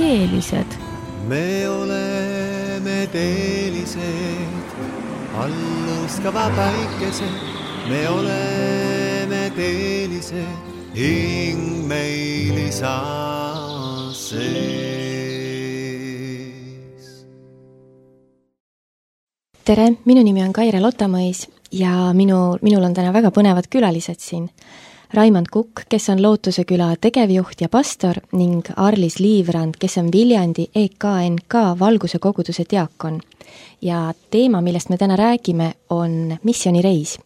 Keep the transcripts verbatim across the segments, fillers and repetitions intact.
teelised. Me oleme teelised, alluskava päikesed. Me oleme teelised, hing meil isa sees. Tere, minu nimi on Kaire Lotamõis ja minu, minul on täna väga põnevad külalised siin. Raimond Kukk, kes on Lootuse küla tegevjuht ja pastor ning Arlis Liivrand, kes on Viljandi E K N K Valguse koguduse diakon. Ja teema, millest me täna räägime, on missioonireis.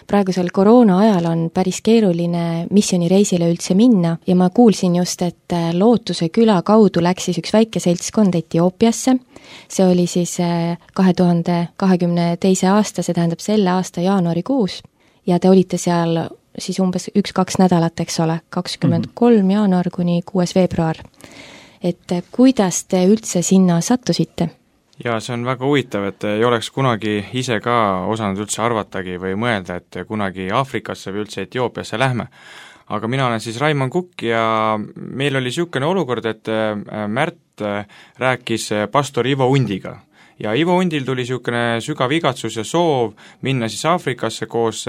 Praegusel koroona ajal on päris keeruline missioonireisile üldse minna ja ma kuulsin just, et Lootuse küla kaudu läks siis üks väike seltskond Etioopiasse. See oli siis kahe tuhande kahekümne teise aasta, see tähendab selle aasta jaanuarikuus ja te olite seal siis umbes üks-kaks nädalat, eks ole, kakskümmend kolm jaanuar kuni kuues veebruar. Et kuidas te üldse sinna sattusite? Ja see on väga huvitav, et ei oleks kunagi ise ka osanud üldse arvatagi või mõelda, et kunagi Aafrikasse või üldse Etioopiasse lähme. Aga mina olen siis Raimond Kukk ja meil oli niisugune olukord, et Märt rääkis pastor Ivo Undiga. Ja Ivo Undil tuli niisugune sügav igatsus ja soov minna siis Aafrikasse koos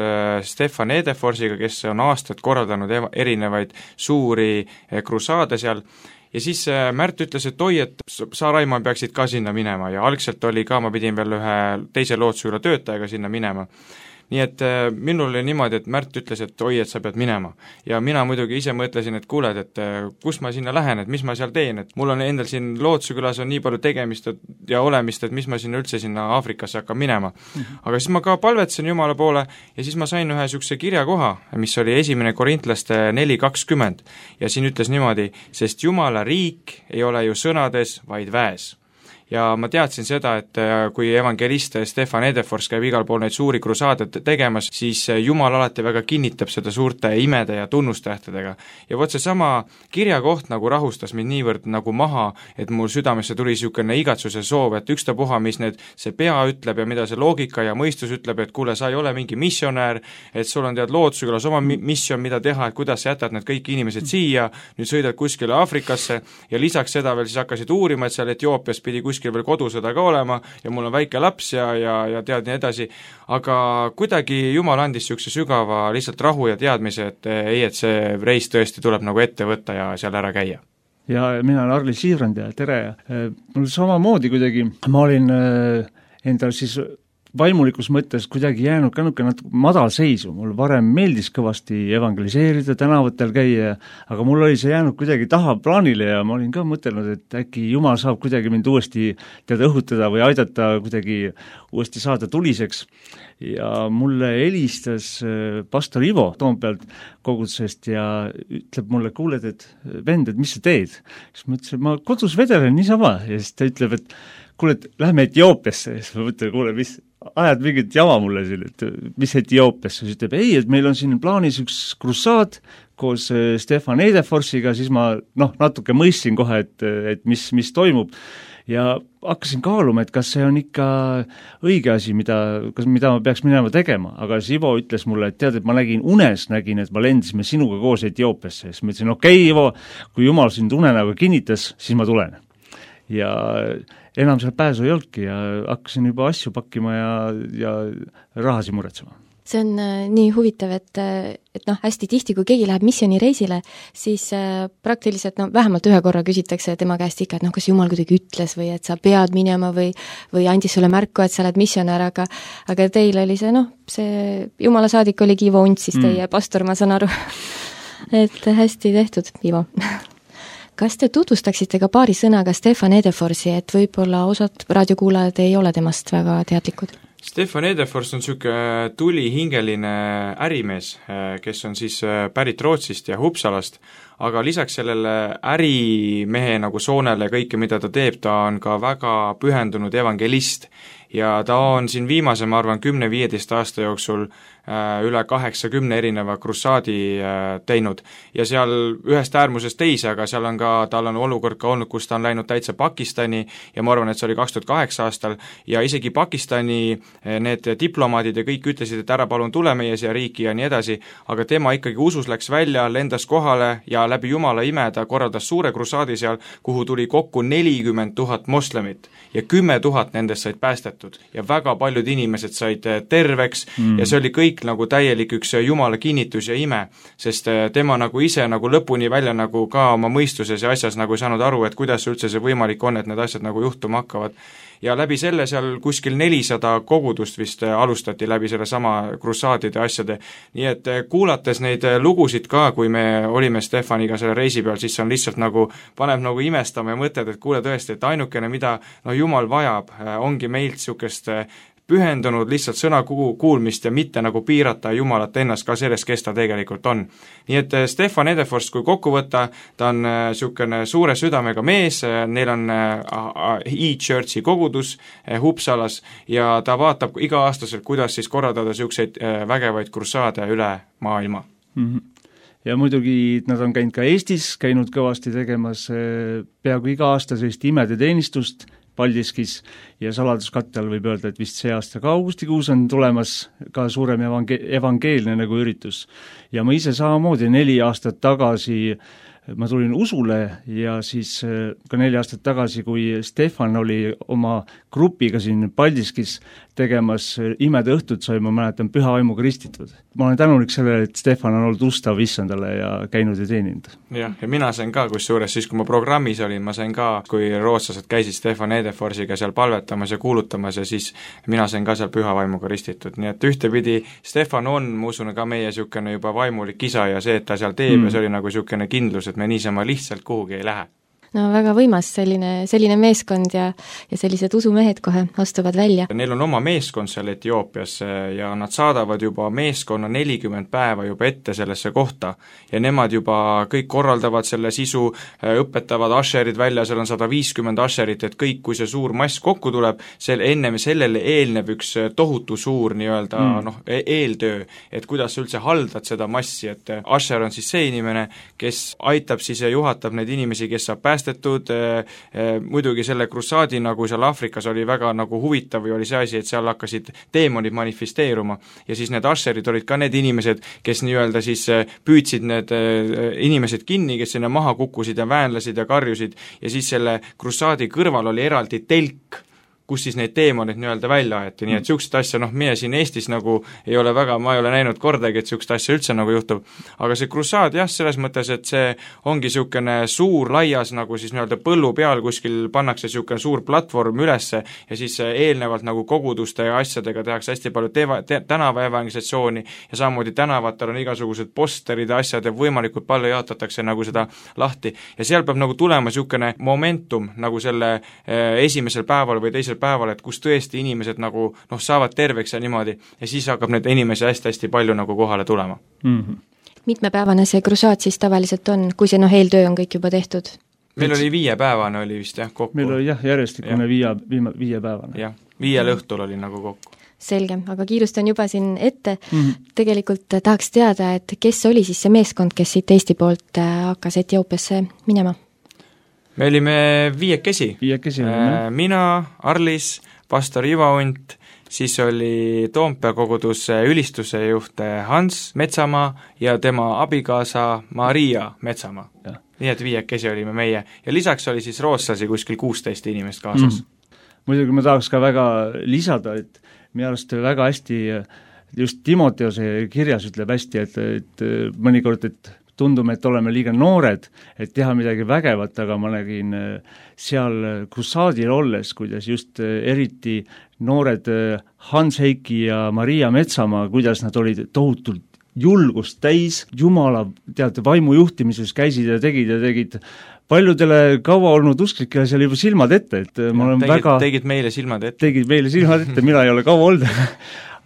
Stefan Edeforsiga, kes on aastad korraldanud erinevaid suuri krusaade seal. Ja siis Märt ütles, et oi, et sa, Raimond, peaksid ka sinna minema ja algselt oli ka, ma pidin veel ühe teise Lootsuküla töötajaga sinna minema. Nii et minul oli niimoodi, et Märt ütles, et oi, et sa pead minema. Ja mina muidugi ise mõtlesin, et kuuled, et kus ma sinna lähen, et mis ma seal teen, et mul on endal siin Lootsukülas on nii palju tegemist ja olemist, et mis ma sinna üldse sinna Aafrikasse hakkan minema. Aga siis ma ka palvetsen Jumala poole ja siis ma sain ühe sükse kirjakoha, mis oli esimene Korintlaste neli kakskümmend ja siin ütles niimoodi, sest Jumala riik ei ole ju sõnades, vaid väes. Ja ma teadsin seda, et kui evangelist Stefan Edefors käib igal pool neid suuri krusaadet tegemas, siis Jumal alati väga kinnitab seda suurte imede ja tunnustähtedega. Ja vot see sama kirjakoht nagu rahustas mind niivõrd nagu maha, et mul südamesse tuli niisugune igatsuse soov, et ükstapuha, mis need, see pea ütleb ja mida see loogika ja mõistus ütleb, et kuule, sa ei ole mingi missionäär, et sul on tead Lootsukülas oma mission, mida teha, et kuidas sa jätad need kõik inimesed siia, nüüd sõidad kuskile Aafrikasse ja lisaks seda veel siis hakkasid uurima, et seal Etioopias pidi kuskil veel kodusõda ka olema ja mul on väike laps ja, ja, ja tead nii edasi, aga kuidagi Jumal andis niisuguse sügava lihtsalt rahu ja teadmise, et ei, et see reis tõesti tuleb nagu ette võtta ja seal ära käia. Ja mina olen Arlis Liivrand ja tere. Mul samamoodi kuidagi, ma olin endal siis vaimulikus mõttes kuidagi jäänud ka natuke madal seisu. Mul varem meeldis kõvasti evangeliseerida, tänavatel käia, aga mul oli see jäänud kuidagi taha plaanile ja ma olin ka mõtelnud, et äkki Jumal saab kuidagi mind uuesti teada õhutada või aidata kuidagi uuesti saada tuliseks. Ja mulle helistas pastor Ivo Toompealt kogudusest ja ütleb mulle, kuuled, et vend, et mis sa teed? Siis ma ütlesin, ma kodus vedelen niisama ja siis ta ütleb, et kuule, et lähme Etioopiasse. Siis ma mõtlen, kuule, mis ajad mingit jama mulle siin, et mis Etioopiasse? Siis ütleb, ei, et meil on siin plaanis üks krusaad koos Stefan Edeforsiga, siis ma noh, natuke mõistsin kohe, et, et mis, mis toimub. Ja hakkasin kaaluma, et kas see on ikka õige asi, mida, kas, mida ma peaks minema tegema, aga Sivo ütles mulle, et tead, et ma nägin unes, nägin, et ma lendisime sinuga koos Etioopiasse, siis ma ütlesin, okei, Ivo, kui Jumal sind unenäoga kinnitas, siis ma tulen. Ja enam seal pääsu ei olnudki ja hakkasin juba asju pakkima ja, ja rahasi muretsema. See on äh, nii huvitav, et, et noh, hästi tihti, kui keegi läheb missioonireisile, siis äh, praktiliselt no, vähemalt ühe korra küsitakse tema käest ikka, et noh, kas Jumal kuidagi ütles või et sa pead minema või, või andis sulle märku, et sa oled missionär, aga, aga teil oli see, noh, see Jumala saadik oligi Ivo Unt, siis teie mm. pastor, ma saan aru, et hästi tehtud, Ivo. Kas te tutvustaksite ka paari sõnaga Stefan Edeforsi, et võib-olla osad raadiokuulajad ei ole temast väga teadlikud? Stefan Edefors on niisugune tulihingeline ärimees, kes on siis pärit Rootsist ja Uppsalast, aga lisaks sellele ärimehe nagu soonele ja kõike, mida ta teeb, ta on ka väga pühendunud evangelist ja ta on siin viimase, ma arvan, kümne-viieteist aasta jooksul üle kaheksakümne erineva krusaadi teinud ja seal ühest äärmusest teise, aga seal on ka, tal on olukord ka olnud, kus ta on läinud täitsa Pakistani ja ma arvan, et see oli kaks tuhat kaheksa aastal ja isegi Pakistani need diplomaadid ja kõik ütlesid, et ära palun tule meie siia riiki ja nii edasi, aga tema ikkagi usus läks välja, lendas kohale ja läbi Jumala ime ta korraldas suure krusaadi seal, kuhu tuli kokku nelikümmend tuhat moslemit ja kümme tuhat nendest said päästetud ja väga paljud inimesed said terveks mm. ja see oli kõik nagu täielik üks Jumala kinnitus ja ime, sest tema nagu ise nagu lõpuni välja nagu ka oma mõistuses ja asjas nagu ei saanud aru, et kuidas üldse see võimalik on, et need asjad nagu juhtuma hakkavad. Ja läbi selle seal kuskil nelisada kogudust vist alustati läbi selle sama krusaadide asjade, nii et kuulates neid lugusid ka, kui me olime Stefaniga selle reisi peal, siis on lihtsalt nagu, paneb nagu imestama ja mõtled, et kuule tõesti, et ainukene, mida no Jumal vajab, ongi meilt niisugust pühendunud lihtsalt sõna kuulmist ja mitte nagu piirata Jumalat ennast ka sellest, kes ta tegelikult on. Nii et Stefan Edeforst, kui kokku võtta, ta on niisugune suure südamega mees, neil on e-churchi kogudus Uppsalas ja ta vaatab iga-aastaselt, kuidas siis korraldada niisuguseid vägevaid krusaade üle maailma. Mm-hmm. Ja muidugi nad on käinud ka Eestis, käinud kõvasti tegemas peaaegu iga aasta sellist imede teenistust Paldiskis ja saladuskatte all võib öelda, et vist see aasta ka augustikuus on tulemas ka suurem evange- evangeelne nagu üritus. Ja ma ise samamoodi neli aastat tagasi ma tulin usule ja siis ka neli aastat tagasi, kui Stefan oli oma grupiga siin Paldiskis tegemas imede õhtut, sai ma mäletan püha vaimuga ristitud. Ma olen tänulik sellele, et Stefan on olnud ustav issandale ja käinud ja teeninud. Jah, ja mina sain ka, kus suures, siis kui ma programmis olin, ma sain ka, kui rootslased käisid Stefan Edeforsiga seal palvetamas ja kuulutamas ja siis mina sain ka seal püha vaimuga ristitud. Nii et ühtepidi Stefan on, ma usun, ka meie niisugune juba vaimulik isa ja see, et ta seal teeb mm. ja see oli nagu niisugune kindlus, et me niisama lihtsalt kuhugi ei lähe. No väga võimas selline, selline meeskond ja, ja sellised usumehed kohe astuvad välja. Neil on oma meeskond seal Etioopias ja nad saadavad juba meeskonna nelikümmend päeva juba ette sellesse kohta ja nemad juba kõik korraldavad selle sisu, õpetavad asherid välja, seal on sada viiskümmend asherit, et kõik, kui see suur mass kokku tuleb, sel, ennem sellele eelneb üks tohutu suur nii-öelda mm. noh, eeltöö, et kuidas üldse haldad seda massi, et asher on siis see inimene, kes aitab siis ja juhatab neid inimesi, kes saab päästa päästetud, muidugi selle krusaadi nagu seal Afrikas oli väga nagu huvitav või oli see asi, et seal hakkasid teemonid manifesteeruma ja siis need asherid olid ka need inimesed, kes nii-öelda siis püüdsid need inimesed kinni, kes sinna maha kukkusid ja väänlasid ja karjusid ja siis selle krusaadi kõrval oli eraldi telk, kus siis neid teemonid nii-öelda välja aeti, nii et niisugust asja, noh, meie siin Eestis nagu ei ole väga, ma ei ole näinud kordagi, et niisugust asja üldse nagu juhtub, aga see krusaad jah, selles mõttes, et see ongi niisugune suur laias nagu siis nii-öelda põllu peal kuskil pannakse niisugune suur platvorm ülesse ja siis eelnevalt nagu koguduste ja asjadega tehakse hästi palju teva, te, tänava evangelisatsiooni ja samamoodi tänavatel on igasugused posterid ja asjad ja võimalikult palju jaotatakse nagu seda lahti ja seal peab nagu tulema niisugune momentum nagu selle eh, esimesel päeval või teisel päeval, et kus tõesti inimesed nagu noh, saavad terveks ja niimoodi ja siis hakkab neid inimesi hästi-hästi palju nagu kohale tulema. Mm-hmm. Mitmepäevane see krusaad siis tavaliselt on, kui see noh, eeltöö on kõik juba tehtud? Meil oli viiepäevane oli vist jah kokku. Meil oli jah, järjestikune viie, viie, viiepäevane. Jah, viiel õhtul oli nagu kokku. Selge, aga kiirustan juba siin ette. Mm-hmm. Tegelikult tahaks teada, et kes oli siis see meeskond, kes siit Eesti poolt hakkas Etioopiasse minema? Me olime viiekesi, viiekesi äh, mina, Arlis, pastor Ivo Unt, siis oli Toompea koguduse ülistuse juht Hans Metsamaa ja tema abikaasa Maria Metsamaa. Ja. Nii et viiekesi olime meie ja lisaks oli siis rootslasi kuskil kuusteist inimest kaasas. Mm. Muidugi ma tahaks ka väga lisada, et minu arust väga hästi just Timoteose kirjas ütleb hästi, et, et mõnikord, et tundume, et oleme liiga noored, et teha midagi vägevat, aga ma nägin seal krusaadil olles, kuidas just eriti noored Hans Heiki ja Maria Metsamaa, kuidas nad olid tohutult julgust täis, Jumala teate, vaimu juhtimises käisid ja tegid ja tegid paljudele kaua olnud usklikele seal juba silmad ette, et ma olen tegid, väga tegid meile silmad ette. Tegid meile silmad ette, mina ei ole kaua olnud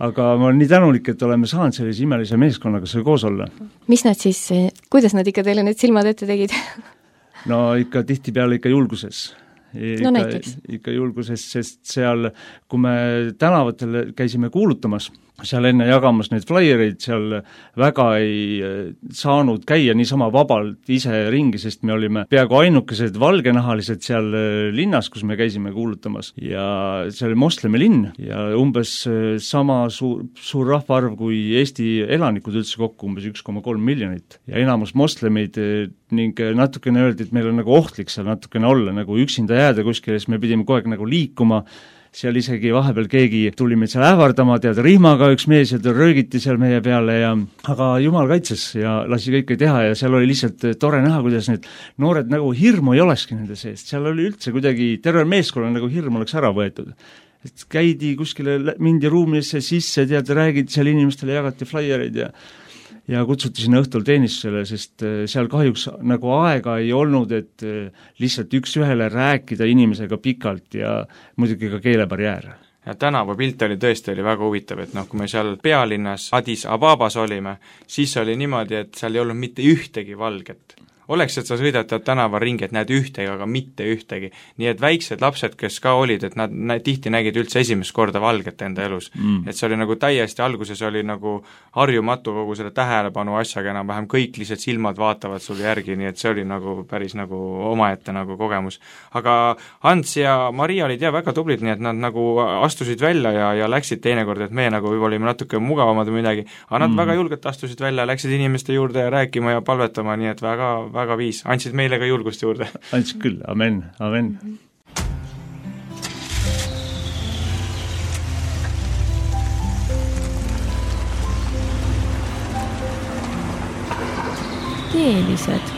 aga ma olen nii tänulik, et oleme saanud sellise imelise meeskonnaga seal koos olla. Mis nad siis, kuidas nad ikka teile need silmad ette tegid? No ikka tihtipeale ikka julguses. Ikka, no näiteks. Ikka julguses, sest seal, kui me tänavatel käisime kuulutamas, seal enne jagamas neid flaiereid, seal väga ei saanud käia niisama vabalt ise ringi, sest me olime peaaegu ainukesed valgenahalised seal linnas, kus me käisime kuulutamas ja see oli moslemi linn ja umbes sama suur, suur rahvaarv kui Eesti elanikud üldse kokku, umbes üks koma kolm miljonit ja enamus moslemid ning natukene öeldi, et meil on nagu ohtlik seal natukene olla, nagu üksinda jääda kuskile, siis me pidime kogu aeg nagu liikuma, seal isegi vahepeal keegi tuli meid seal ähvardama, tead rihmaga üks mees ja ta röögiti seal meie peale ja aga jumal kaitses ja lasi kõike teha ja seal oli lihtsalt tore näha, kuidas need noored nagu hirmu ei olekski nende seest, seal oli üldse kuidagi terve meeskonna nagu hirm oleks ära võetud. Et käidi kuskile, mindi ruumisse sisse, tead, räägid seal inimestele, jagati flaiereid ja ja kutsuti sinna õhtul teenistusele, sest seal kahjuks nagu aega ei olnud, et lihtsalt üks ühele rääkida inimesega pikalt ja muidugi ka keelebarjäär. Ja tänavapilt oli tõesti oli väga huvitav, et noh, kui me seal pealinnas Addis Ababas olime, siis oli niimoodi, et seal ei olnud mitte ühtegi valget. Oleks, et sa sõidad tänavaringi, et näed ühtegi, aga mitte ühtegi. Nii et väiksed lapsed, kes ka olid, et nad nä- tihti nägid üldse esimest korda valget enda elus. Mm. Et see oli nagu täiesti, alguses oli nagu harjumatu kogu selle tähelepanu asjaga, enam-vähem kõik lihtsalt silmad vaatavad sul järgi, nii et see oli nagu päris nagu omaette nagu kogemus. Aga Hans ja Maria olid jah väga tublid, nii et nad nagu astusid välja ja, ja läksid teinekord, et me nagu võib olime natuke mugavamad või midagi, aga nad mm. väga julgelt astusid välja, läksid inimeste juurde ja rääkima ja palvetama, nii et väga väga viis, andsid meile ka julgust juurde. Andsid küll, amen, amen. Keelised.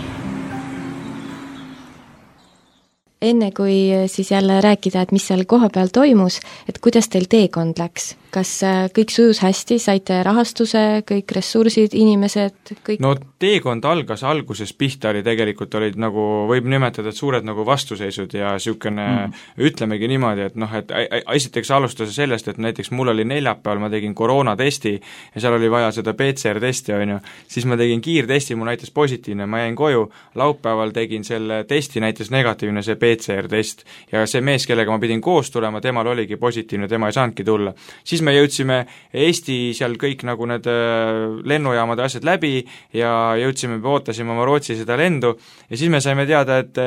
Enne kui siis jälle rääkida, et mis seal koha peal toimus, et kuidas teil teekond läks? Kas kõik sujus hästi, saite rahastuse, kõik ressursid, inimesed, kõik? No teekond algas, alguses pihta oli tegelikult, olid nagu, võib nimetada, et suured nagu vastuseisud ja niisugune mm. ütlemegi niimoodi, et noh, et esiteks alustas sellest, et näiteks mul oli neljapäeval, ma tegin koroonatesti ja seal oli vaja seda P C R-testi, on ju, siis ma tegin kiirtesti, mul näitas positiivne, ma jäin koju, laupäeval tegin selle testi, näitas negatiivne see P C R-test ja see mees, kellega ma pidin koos tulema, temal oligi positiivne, tema ei saanudki tulla. Siis me jõudsime Eesti seal kõik nagu need lennujaamade asjad läbi ja jõudsime, ootasime oma Rootsi seda lendu ja siis me saime teada, et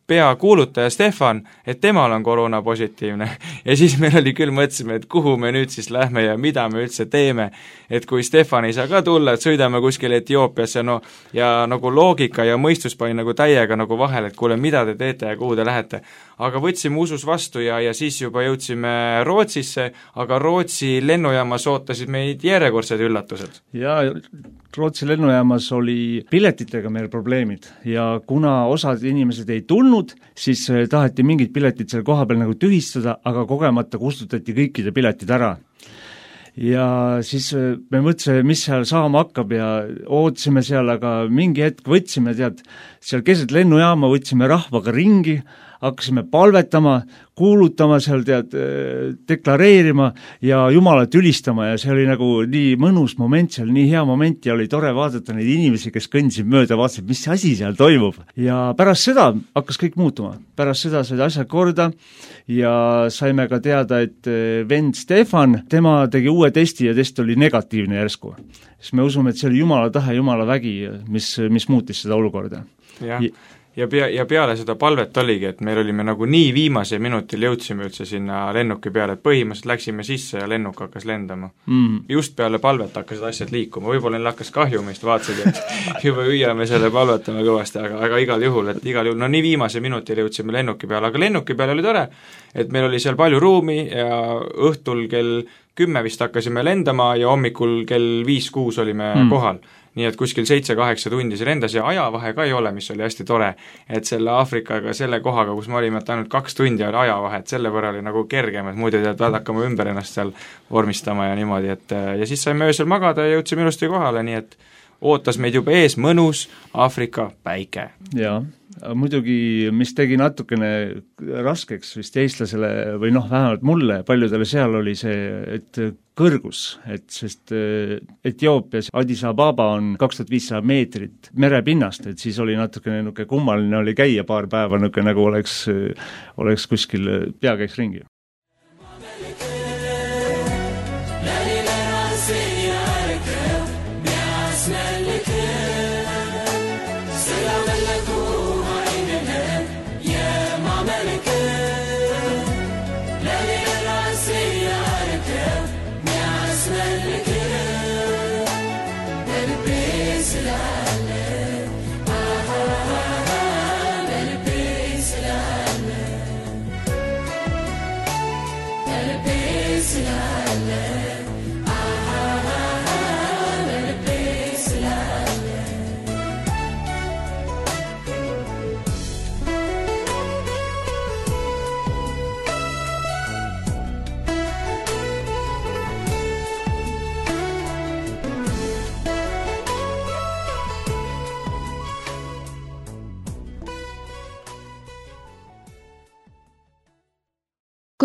peakuulutaja Stefan, et temal on koroona positiivne ja siis meil oli küll, mõtlesime, et kuhu me nüüd siis lähme ja mida me üldse teeme, et kui Stefan ei saa ka tulla, et sõidame kuskile Etioopiasse, no ja nagu loogika ja mõistus pani nagu täiega nagu vahel, et kuule, mida te teete ja kuhu te lähete. Aga võtsime usus vastu ja, ja siis juba jõudsime Rootsisse, aga Rootsi lennujaamas ootasid meid järjekordsed üllatused. Ja Rootsi lennujaamas oli piletitega meil probleemid ja kuna osad inimesed ei tulnud, siis taheti mingid piletid seal koha peal nagu tühistada, aga kogemata kustutati kõikide piletid ära. Ja siis me mõtlesime, mis seal saama hakkab ja ootasime seal, aga mingi hetk võtsime, tead, seal keset lennujaama võtsime rahvaga ringi, hakkasime palvetama, kuulutama seal, tead, deklareerima ja Jumalat ülistama ja see oli nagu nii mõnus moment seal, nii hea moment ja oli tore vaadata neid inimesi, kes kõndsid mööda, vaatasid, mis asi seal toimub. Ja pärast seda hakkas kõik muutuma. Pärast seda said asjad korda ja saime ka teada, et vend Stefan, tema tegi uue testi ja test oli negatiivne järsku. Siis me usume, et see oli Jumala tahe, Jumala vägi, mis, mis muutis seda olukorda. Jah. Ja, pea, ja peale seda palvet oligi, et meil olime nagu nii viimase minutil jõudsime üldse sinna lennuki peale, et põhimõtteliselt läksime sisse ja lennuk hakkas lendama. Mm. Just peale palvet hakkasid asjad liikuma, võib-olla neil hakkas kahju meist, vaatasid, et juba hüüame selle palvetame kõvasti, aga, aga igal juhul, et igal juhul, no nii viimase minutil jõudsime lennuki peale, aga lennuki peale oli tore, et meil oli seal palju ruumi ja õhtul kell kümme vist hakkasime lendama ja hommikul kell viis-kuus olime mm. kohal. Nii et kuskil seitse-kaheksa tundi see lendas ja ajavahe ka ei ole, mis oli hästi tore, et selle Aafrikaga, selle kohaga, kus me olime, et ainult kaks tundi oli ajavahe, et selle võrra oli nagu kergem, et muidu tead, pead hakkama ümber ennast seal vormistama ja niimoodi, et ja siis saime öösel magada ja jõudsime ilusti kohale, nii et ootas meid juba ees mõnus Aafrika päike. Jaa, muidugi, mis tegi natukene raskeks vist eestlasele või noh, vähemalt mulle, paljudele seal oli see, et kõrgus, et sest Etioopias Addis Ababa on kaks tuhat viissada meetrit merepinnast, et siis oli natukene nuke kummaline oli käia paar päeva nuke nagu oleks, oleks kuskil pea käiks ringi.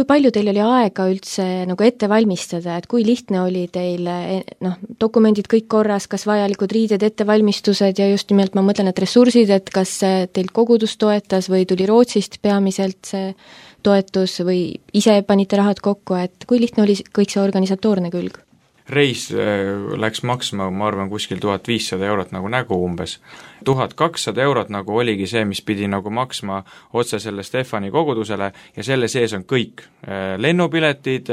kui palju teil oli aega üldse nagu ette valmistada, et kui lihtne oli teil noh, dokumendid kõik korras, kas vajalikud riided, ettevalmistused ja just nimelt ma mõtlen, et ressursid, et kas teilt kogudus toetas või tuli Rootsist peamiselt see toetus või ise panite rahad kokku, et kui lihtne oli kõik see organisatoorne külg? Reis läks maksma, ma arvan, kuskil tuhat viissada eurot nagu nägu umbes. tuhat kakssada eurot nagu oligi see, mis pidi nagu maksma otse selle Stefani kogudusele ja selle sees on kõik. Lennupiletid,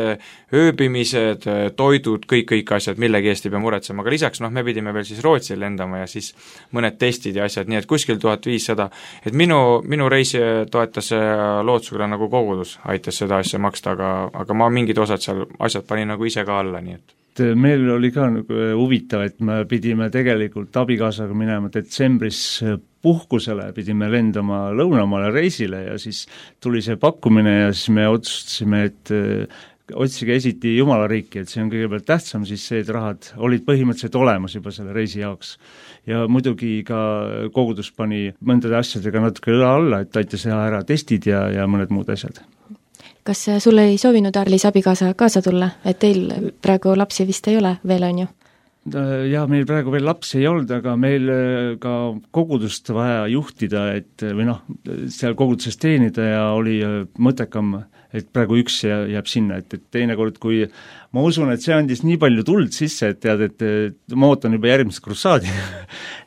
ööbimised, toidud, kõik, kõik asjad, millegi eest ei pea muretsema, aga lisaks noh, me pidime veel siis Rootsi lendama ja siis mõned testid ja asjad, nii et kuskil tuhat viissada. Et minu, minu reisi toetas Lootsküla nagu kogudus, aitas seda asja maksta, aga, aga ma mingid osad seal asjad panin nagu ise ka alla, nii et meil oli ka nagu huvitav, et me pidime tegelikult abikaasaga minema detsembris puhkusele, pidime lendama lõunamaale reisile ja siis tuli see pakkumine ja siis me otsustasime, et otsige esiti Jumala riiki, et see on kõigepealt tähtsam, siis see, et rahad olid põhimõtteliselt olemas juba selle reisi jaoks. Ja muidugi ka kogudus pani mõndade asjadega natuke õla alla, et aitas teha ära testid ja, ja mõned muud asjad. Kas sulle ei soovinud Arlis abikaasa kaasa tulla, et teil praegu lapsi vist ei ole veel, on ju? Jaa, meil praegu veel lapsi ei olnud, aga meil ka kogudust vaja juhtida, et või noh, seal koguduses teenida ja oli mõttekam, et praegu üks jääb sinna, et, et teine kord, kui ma usun, et see andis nii palju tuld sisse, et tead, et ma ootan juba järgmist krussaadi,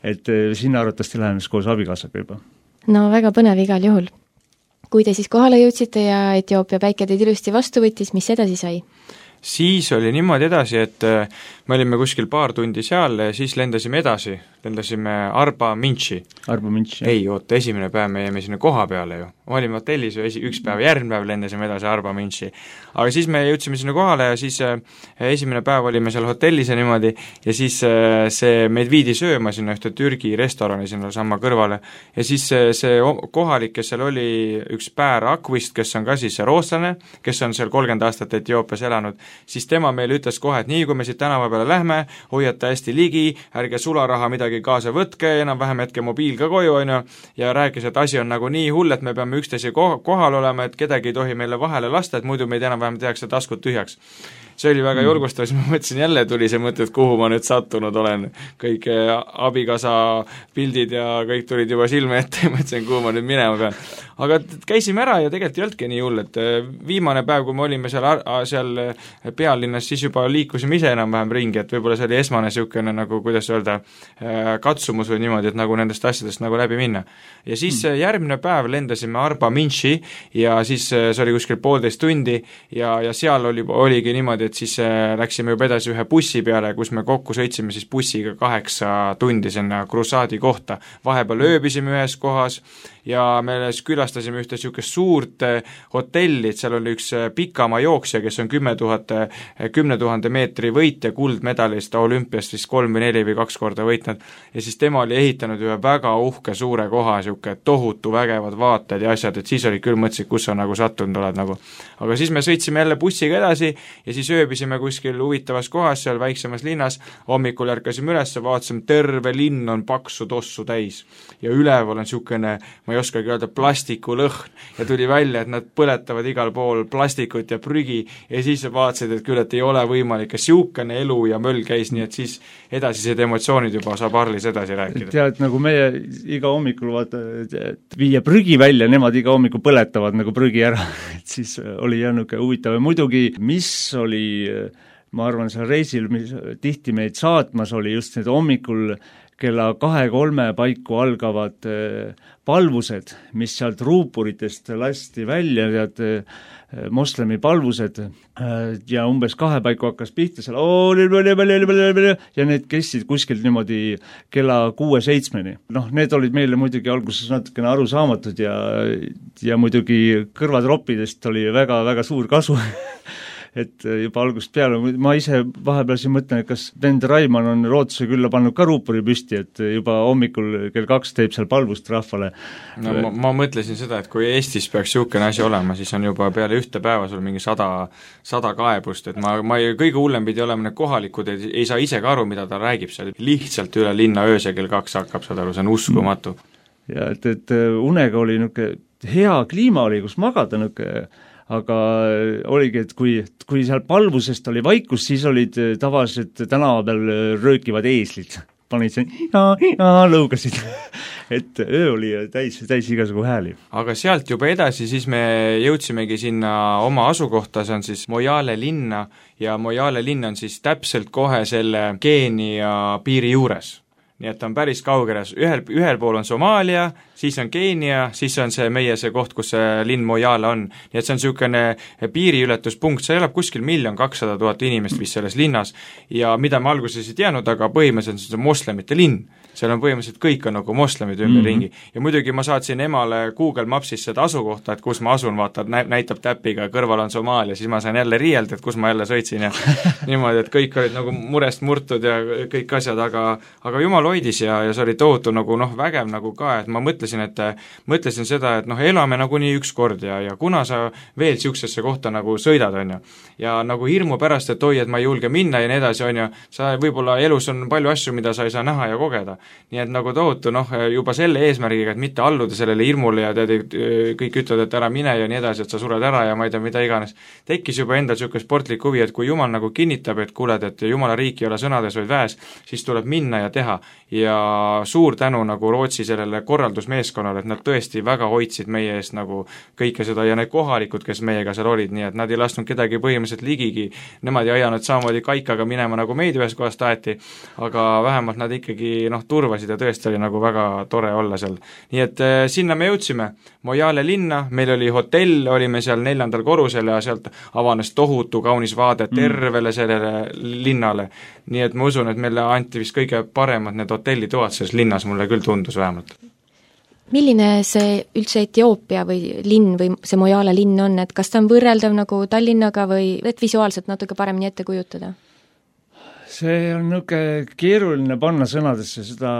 et sinna arvatavasti lähenes koos abikaasaga juba. No väga põnev igal juhul. Kui te siis kohale jõudsite ja Etioopia päike teid ilusti vastu võttis, mis edasi sai? Siis oli niimoodi edasi, et me olime kuskil paar tundi seal ja siis lendasime edasi, lendasime Arba Minchi. Arba Minchi. Ei, oota, esimene päev me jäime sinna koha peale ju. Me olime hotellis ju esi, üks päev, järgmine päev lendasime edasi Arba Minchi. Aga siis me jõudsime sinna kohale ja siis äh, esimene päev olime seal hotellis ja niimoodi ja siis äh, see meid viidi sööma sinna ühte Türgi restorani sinna sama kõrvale ja siis äh, see kohalik, kes seal oli üks Pär Akvist, kes on ka siis rootslane, kes on seal kolmkümmend aastat Etioopias elanud, siis tema meile ütles kohe, et nii kui me siit tänava peale lähme, hoiate hästi ligi, ärge sularaha midagi kaasa võtke, enam-vähem hetke mobiil ka koju, on ju, ja rääkis, et asi on nagu nii hull, et me peame üksteise kohal olema, et kedagi ei tohi meile vahele lasta, et muidu meid enam-vähem tehakse taskud tühjaks. See oli väga julgustav, siis ma mõtlesin jälle, tuli see mõte, et kuhu ma nüüd sattunud olen. Kõik abikaasa pildid ja kõik tulid juba silme ette ja mõtlesin, kuhu ma nüüd minema pean. Aga käisime ära ja tegelikult ei olnudki nii hull, et viimane päev, kui me olime seal, seal pealinnas, siis juba liikusime ise enam-vähem ringi, et võib-olla see oli esmane niisugune nagu, kuidas öelda, katsumus või niimoodi, et nagu nendest asjadest nagu läbi minna. Ja siis hmm. järgmine päev lendasime Arba Minchi ja siis see oli kuskil poolteist tundi ja, ja seal oli, oligi niimoodi, et siis läksime juba edasi ühe bussi peale, kus me kokku sõitsime siis bussiga kaheksa tundi sinna krussaadi kohta. Vahepeal ööbisime ühes kohas ja me külastasime ühte niisugust suurt hotelli, et seal oli üks pikamaa jooksja, kes on kümme tuhat, kümne tuhande meetri võitja, kuldmedalist olümpiast siis kolm või neli või kaks korda võitnud ja siis tema oli ehitanud ühe väga uhke suure koha, niisugune tohutu vägevad vaated ja asjad, et siis oli küll mõtlesid, kus sa nagu sattunud oled nagu. Aga siis me sõitsime jälle bussiga edasi ja siis ööbisime kuskil huvitavas kohas seal väiksemas linnas, hommikul ärkasime üles, vaatasime, terve linn on paksu tossu täis ja üleval on niisugune, ma ei oskagi öelda, plastikulõhn ja tuli välja, et nad põletavad igal pool plastikut ja prügi ja siis vaatasid, et küll, et ei ole võimalik, et siukene elu ja möll käis, nii et siis edasised emotsioonid juba saab Arlis edasi rääkida. Tead, nagu meie iga hommikul vaata, viia prügi välja, nemad iga hommikul põletavad nagu prügi ära, et siis oli jäänuke huvitav ja muidugi, mis oli, ma arvan, seal reisil, mis tihti meid saatmas oli just need hommikul kella kahe-kolme paiku algavad palvused, mis sealt ruupuritest lasti välja, tead, moslemi palvused ja umbes kahe paiku hakkas pihta seal ja need kestsid kuskilt niimoodi kella kuue-seitsmeni. Noh, need olid meile muidugi alguses natukene arusaamatud ja, ja muidugi kõrvatroppidest oli väga-väga suur kasu et juba algusest peale, ma ise vahepeal siin mõtlen, et kas vend Raimann on Rootsuse külla pannud ka ruupuri püsti, et juba hommikul kell kaks teeb seal palvust rahvale. No ma, ma mõtlesin seda, et kui Eestis peaks niisugune asi olema, siis on juba peale ühte päeva sul mingi sada, sada kaebust, et ma, ma ei, kõige hullem pidi olema need kohalikud, et ei saa ise ka aru, mida ta räägib seal, lihtsalt üle linna öösel kell kaks hakkab, saad aru, see on uskumatu. Ja et, et unega oli niisugune hea kliima oli, kus magada niisugune aga oligi, et kui, kui seal palvusest oli vaikus, siis olid tavaliselt tänava peal röökivad eeslid. Panid see ja, ja lõugasid. Et öö oli täis, täis igasugu hääli. Aga sealt juba edasi siis me jõudsimegi sinna oma asukohta, see on siis Moyale linna ja Moyale linn on siis täpselt kohe selle Keenia piiri juures. Nii et on päris kaugeles, ühel, ühel pool on Somaalia, siis on Keenia, siis on see meie see koht, kus see linn Moyale on. Nii et see on niisugune piiriületuspunkt, see elab kuskil miljon kakssada tuhat inimest vist selles linnas ja mida me alguses ei teadnud, aga põhimõtteliselt see on moslemite linn. Seal on põhimõtteliselt kõik on nagu moslemid ümber ringi. Mm -hmm. Ja muidugi ma saatsin emale Google Mapsis seda asukohta, et kus ma asun, vaata, näitab täpiga, kõrval on Somaalia, siis ma sain jälle riielda, et kus ma jälle sõitsin ja niimoodi, et kõik olid nagu murest murtud ja kõik asjad, aga, aga jumal hoidis ja, ja see oli tohutu nagu noh, vägev nagu ka, et ma mõtlesin, et mõtlesin seda, et noh, elame nagu nii üks kord ja, ja kuna sa veel siuksesse kohta nagu sõidad, on ju, ja nagu hirmu pärast, et oi, et ma ei julge minna ja nii edasi, on ju, sa võib-olla elus on palju asju, mida sa ei saa näha ja kogeda. Nii et nagu tohutu, noh, juba selle eesmärgiga, et mitte alluda sellele hirmule ja tead, kõik ütlevad, et ära mine ja nii edasi, et sa sured ära ja ma ei tea, mida iganes. Tekkis juba endal niisugune sportlik huvi, et kui Jumal nagu kinnitab, et kuuled, et Jumala riik ei ole sõnades, vaid väes, siis tuleb minna ja teha. Ja suur tänu nagu Rootsi sellele korraldusmeeskonnale, et nad tõesti väga hoidsid meie eest nagu kõike seda ja need kohalikud, kes meiega seal olid, nii et nad ei lasknud kedagi põhimõtteliselt ligigi, nemad ei ajanud samamoodi kaikaga minema nagu meid ühes kohast taeti, aga vähemalt nad ikkagi noh, turvasid ja tõesti oli nagu väga tore olla seal. Nii et äh, sinna me jõudsime, Moyale linna, meil oli hotell, olime seal neljandal korrusel ja sealt avanes tohutu kaunis vaade tervele sellele linnale. Nii et ma usun, et meile anti vist kõige paremad need hotellitoad selles linnas, mulle küll tundus vähemalt. Milline see üldse Etioopia või linn või see Moyale linn on, et kas ta on võrreldav nagu Tallinnaga või et visuaalselt natuke paremini ette kujutada? See on niisugune keeruline panna sõnadesse, seda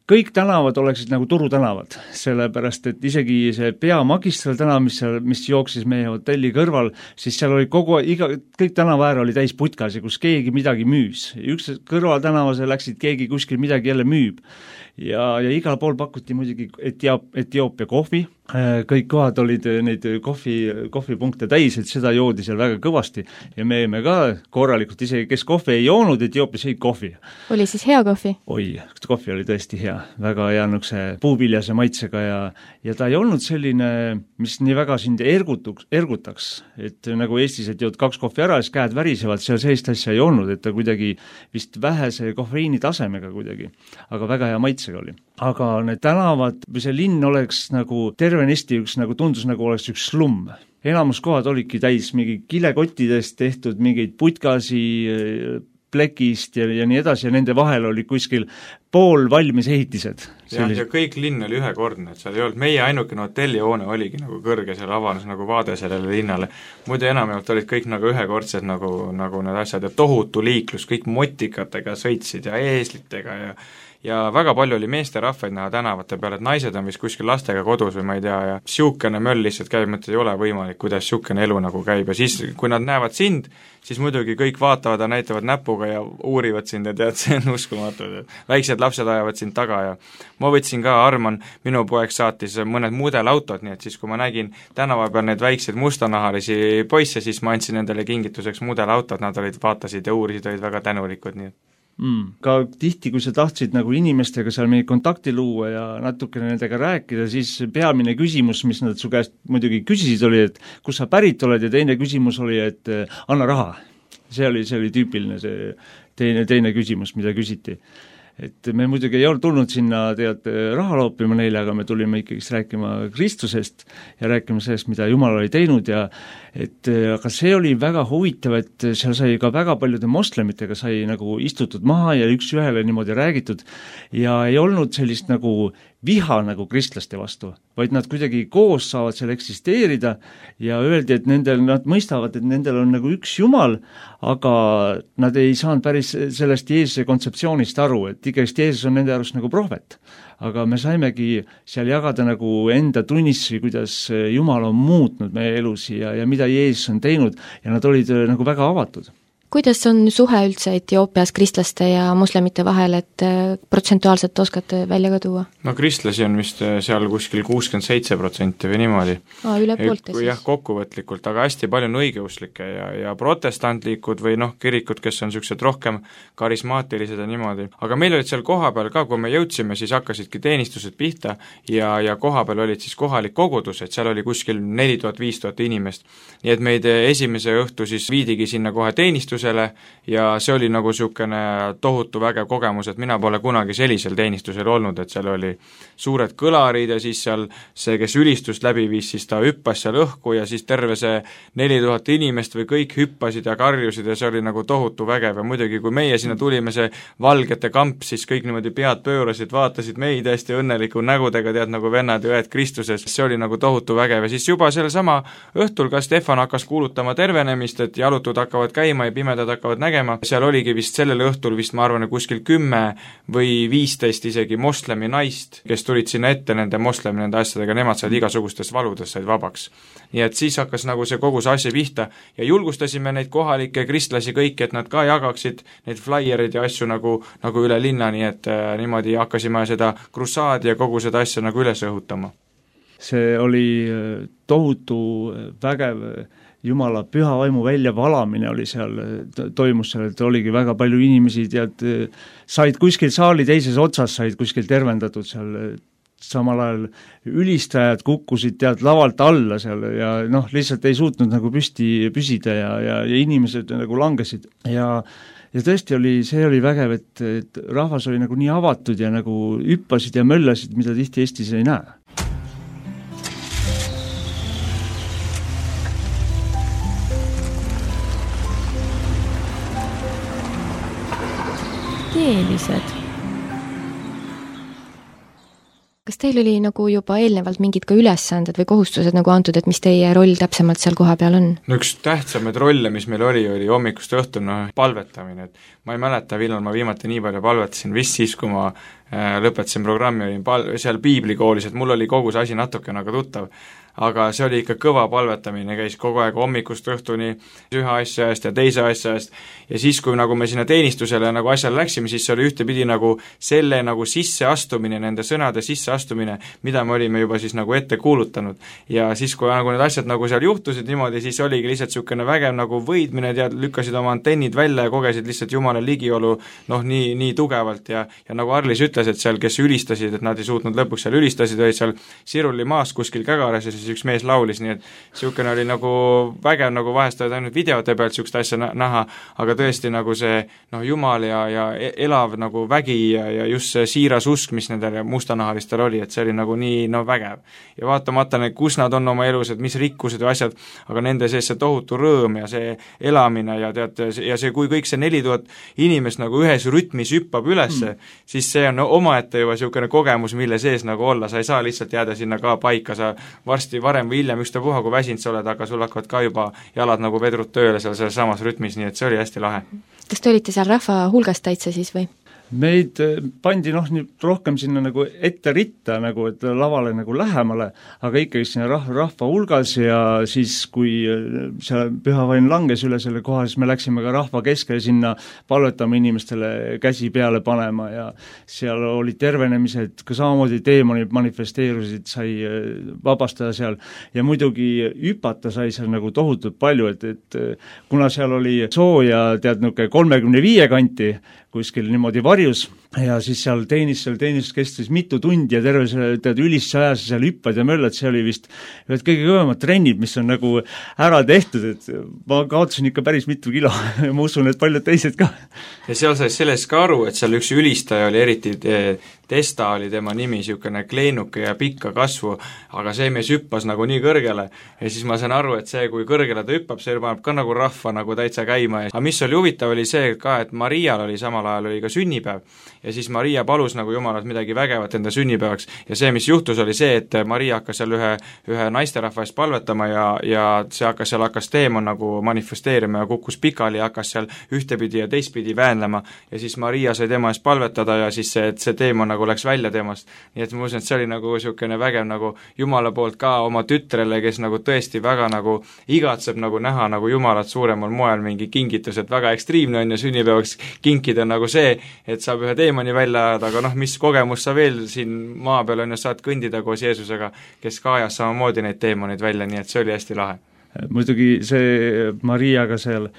kõik tänavad oleksid nagu turutänavad, sellepärast et isegi see peamagistral tänav, mis, seal, mis jooksis meie hotelli kõrval, siis seal oli kogu, iga, kõik tänavaäär oli täis putkasi, kus keegi midagi müüs. Üks kõrval tänavase läksid, keegi kuskil midagi jälle müüb. Ja, ja igal pool pakuti muidugi Etiop, Etioopia kohvi, kõik kohad olid neid kohvi, kohvipunkte täis, et seda joodi seal väga kõvasti ja me jäime ka korralikult, isegi kes kohvi ei joonud, Etioopias ei kohvi. Oli siis hea kohvi? Oi, kohvi oli tõesti hea, väga hea nukse puuviljase maitsega ja, ja ta ei olnud selline, mis nii väga sind ergutuks, ergutaks, et nagu Eestis, et jood kaks kohvi ära, siis käed värisevad, seal sellist asja ei olnud, et ta kuidagi vist vähese kofeiini tasemega kuidagi, aga väga hea maitsega oli. Aga need tänavad või see linn oleks nagu tervenisti üks, nagu tundus, nagu oleks üks slumm. Enamus kohad olidki täis mingi kilekottidest tehtud mingeid putkasi plekist ja, ja nii edasi ja nende vahel oli kuskil pool valmis ehitised. Ja, ja kõik linn oli ühekordne, et seal ei olnud, meie ainukene hotellihoone oligi nagu kõrge, seal avanes nagu vaade sellele linnale. Muidu enamjaolt olid kõik nagu ühekordsed nagu, nagu need asjad ja tohutu liiklus, kõik motikatega sõitsid ja eeslitega ja ja väga palju oli meesterahvaid näha tänavate peal, et naised on vist kuskil lastega kodus või ma ei tea ja siukene möll lihtsalt käib, mõtled, ei ole võimalik, kuidas siukene elu nagu käib ja siis, kui nad näevad sind, siis muidugi kõik vaatavad ja näitavad näpuga ja uurivad sind ja tead, see on uskumatu, väiksed lapsed ajavad sind taga ja ma võtsin ka, Arman, minu poeg saatis mõned mudelautod, nii et siis kui ma nägin tänava peal need väikseid mustanahalisi poisse, siis ma andsin nendele kingituseks mudelautod, nad olid, vaatasid ja uurisid, olid väga tänulikud, nii et Mm. Ka tihti, kui sa tahtsid nagu inimestega seal mingi kontakti luua ja natukene nendega rääkida, siis peamine küsimus, mis nad su käest muidugi küsisid, oli, et kus sa pärit oled ja teine küsimus oli, et anna raha. See oli, see oli tüüpiline see teine, teine küsimus, mida küsiti. Et me muidugi ei olnud tulnud sinna tead raha loopima neile, aga me tulime ikkagi rääkima Kristusest ja rääkima sellest, mida Jumal oli teinud ja et aga see oli väga huvitav, et seal sai ka väga paljude moslemitega sai nagu istutud maha ja üks ühele niimoodi räägitud ja ei olnud sellist nagu viha nagu kristlaste vastu, vaid nad kuidagi koos saavad seal eksisteerida ja öeldi, et nendel, nad mõistavad, et nendel on nagu üks Jumal, aga nad ei saanud päris sellest Jeesuse kontseptsioonist aru, et ikkagi Jeesus on nende arust nagu prohvet. Aga me saimegi seal jagada nagu enda tunnistusi, kuidas Jumal on muutnud meie elusi ja, ja mida Jeesus on teinud ja nad olid nagu väga avatud. kuidas on suhe üldse Etioopias kristlaste ja moslemite vahel, et protsentuaalselt oskate välja ka tuua? No kristlasi on vist seal kuskil kuuskümmend seitse protsenti või niimoodi. Aa, üle poolte siis. Jah, kokkuvõtlikult, aga hästi palju on õigeusklikke ja, ja protestantlikud või noh, kirikud, kes on niisugused rohkem karismaatilised ja niimoodi. Aga meil olid seal kohapeal ka, kui me jõudsime, siis hakkasidki teenistused pihta ja, ja kohapeal olid siis kohalik kogudus, et seal oli kuskil neli tuhat viis tuhat inimest. Nii et meid esimese õhtu siis viidigi sinna kohe teenistus ja see oli nagu niisugune tohutu vägev kogemus, et mina pole kunagi sellisel teenistusel olnud, et seal oli suured kõlarid ja siis seal see, kes ülistust läbi viis, siis ta hüppas seal õhku ja siis terve see neli tuhat inimest või kõik hüppasid ja karjusid ja see oli nagu tohutu vägev ja muidugi, kui meie sinna tulime, see valgete kamp, siis kõik niimoodi pead pöörasid, vaatasid meid hästi õnneliku nägudega, tead nagu vennad ja õed Kristuses, see oli nagu tohutu vägev ja siis juba selle sama õhtul ka Stefan hakkas kuulutama tervenemist, et jalutud hakkavad käima ja pimedad hakkavad nägema, seal oligi vist sellel õhtul vist ma arvan, kuskil kümme või viisteist isegi moslemi naist, kes tulid sinna ette nende moslemi nende asjadega, nemad said igasugustest valudest, said vabaks. Nii et siis hakkas nagu see kogu see asja pihta ja julgustasime neid kohalikke kristlasi kõiki, et nad ka jagaksid neid flaiereid ja asju nagu, nagu üle linna, nii et äh, niimoodi hakkasime seda krussaadi ja kogu seda asja nagu üles õhutama. See oli tohutu vägev Jumala püha vaimu väljavalamine oli seal, toimus seal, et oligi väga palju inimesi, tead, said kuskil saali teises otsas, said kuskil tervendatud seal, samal ajal ülistajad kukkusid tead lavalt alla seal ja noh, lihtsalt ei suutnud nagu püsti püsida ja, ja, ja inimesed nagu langesid ja ja tõesti oli, see oli vägev, et, et rahvas oli nagu nii avatud ja nagu hüppasid ja möllasid, mida tihti Eestis ei näe. Teelised. Kas teil oli nagu juba eelnevalt mingid ka ülesanded või kohustused nagu antud, et mis teie roll täpsemalt seal koha peal on? No üks tähtsamaid rolle, mis meil oli, oli hommikust õhtul no, palvetamine, et ma ei mäleta, millal ma viimati nii palju palvetasin, vist siis, kui ma äh, lõpetasin programmi, olin pal- seal piiblikoolis, et mul oli kogu see asi natuke nagu tuttav, aga see oli ikka kõva palvetamine, käis kogu aeg hommikust õhtuni ühe asja eest ja teise asja eest ja siis, kui nagu me sinna teenistusele nagu asjale läksime, siis see oli ühtepidi nagu selle nagu sisseastumine, nende sõnade sisseastumine, mida me olime juba siis nagu ette kuulutanud ja siis, kui nagu need asjad nagu seal juhtusid niimoodi, siis oligi lihtsalt niisugune vägev nagu võidmine, tead, lükkasid oma antennid välja ja kogesid lihtsalt Jumala ligiolu noh, nii, nii tugevalt ja, ja nagu Arlis ütles, et seal, kes ülistasid, et nad ei suutnud lõpuks seal ülistasid, olid seal Siruli maas kuskil Kägaras ja siis üks mees laulis, nii et niisugune oli nagu vägev, nagu vahest olid ainult videote pealt niisugust asja näha, aga tõesti nagu see noh, Jumal ja, ja elav nagu vägi ja, ja just see siiras usk, mis nendel mustanahalistel oli, et see oli nagu nii no vägev. Ja vaatamata need, kus nad on oma elus, et mis rikkused või asjad, aga nende sees see tohutu rõõm ja see elamine ja tead, ja see, kui kõik see neli tuhat inimest nagu ühes rütmis hüppab ülesse mm., siis see on no, omaette juba niisugune kogemus, mille sees nagu olla, sa ei saa lihtsalt jääda sinna ka paika, sa varsti varem või hiljem ükstapuha, kui väsinud sa oled, aga sul hakkavad ka juba jalad nagu vedrud tööle seal selles samas rütmis, nii et see oli hästi lahe. Kas te olite seal rahva hulgast täitsa siis või? Meid pandi noh, rohkem sinna nagu ette ritta, nagu, et lavale nagu lähemale, aga ikkagi sinna rahva, rahva hulgas ja siis, kui see pühavaim langes üle selle koha, siis me läksime ka rahva keskele sinna palvetama inimestele käsi peale panema ja seal oli tervenemised, ka samamoodi teemonid manifesteerusid, sai vabastada seal ja muidugi hüpata sai seal nagu tohutult palju, et, et kuna seal oli sooja tead niisugune kolmekümne viie kanti, kuskil niimoodi varjus ja siis seal teenis, seal teenis kestis mitu tundi ja terve selle tead ülisse ajas seal hüppad ja möllad, see oli vist ühed kõige kõvemad trennid, mis on nagu ära tehtud, et ma kaotasin ikka päris mitu kilo ja ma usun, et paljud teised ka. Ja seal sai sellest ka aru, et seal üks ülistaja oli eriti Testa oli tema nimi, niisugune kleenuke ja pikka kasvu, aga see mees hüppas nagu nii kõrgele ja siis ma sain aru, et see, kui kõrgele ta hüppab, see paneb ka nagu rahva nagu täitsa käima. Aga mis oli huvitav, oli see ka, et Marial oli samal ajal oli ka sünnipäev ja siis Maria palus nagu Jumalat midagi vägevat enda sünnipäevaks ja see, mis juhtus, oli see, et Maria hakkas seal ühe, ühe naisterahva eest palvetama ja, ja see hakkas seal hakkas teemon nagu manifesteerima ja kukkus pikali ja hakkas seal ühtepidi ja teistpidi väänlema ja siis Maria sai tema eest palvetada ja siis see, see teemon nagu nagu läks välja temast. Nii et ma usun, et see oli nagu niisugune vägev nagu Jumala poolt ka oma tütrele, kes nagu tõesti väga nagu igatseb nagu näha nagu Jumalat suuremal moel mingi kingitus, et väga ekstriimne on ja sünnipäevaks kinkida nagu see, et saab ühe teemani välja ajada, aga noh, mis kogemus sa veel siin maa peal on ja saad kõndida koos Jeesusega, kes ka ajas samamoodi neid teemaneid välja, nii et see oli hästi lahe. Muidugi see Mariaga seal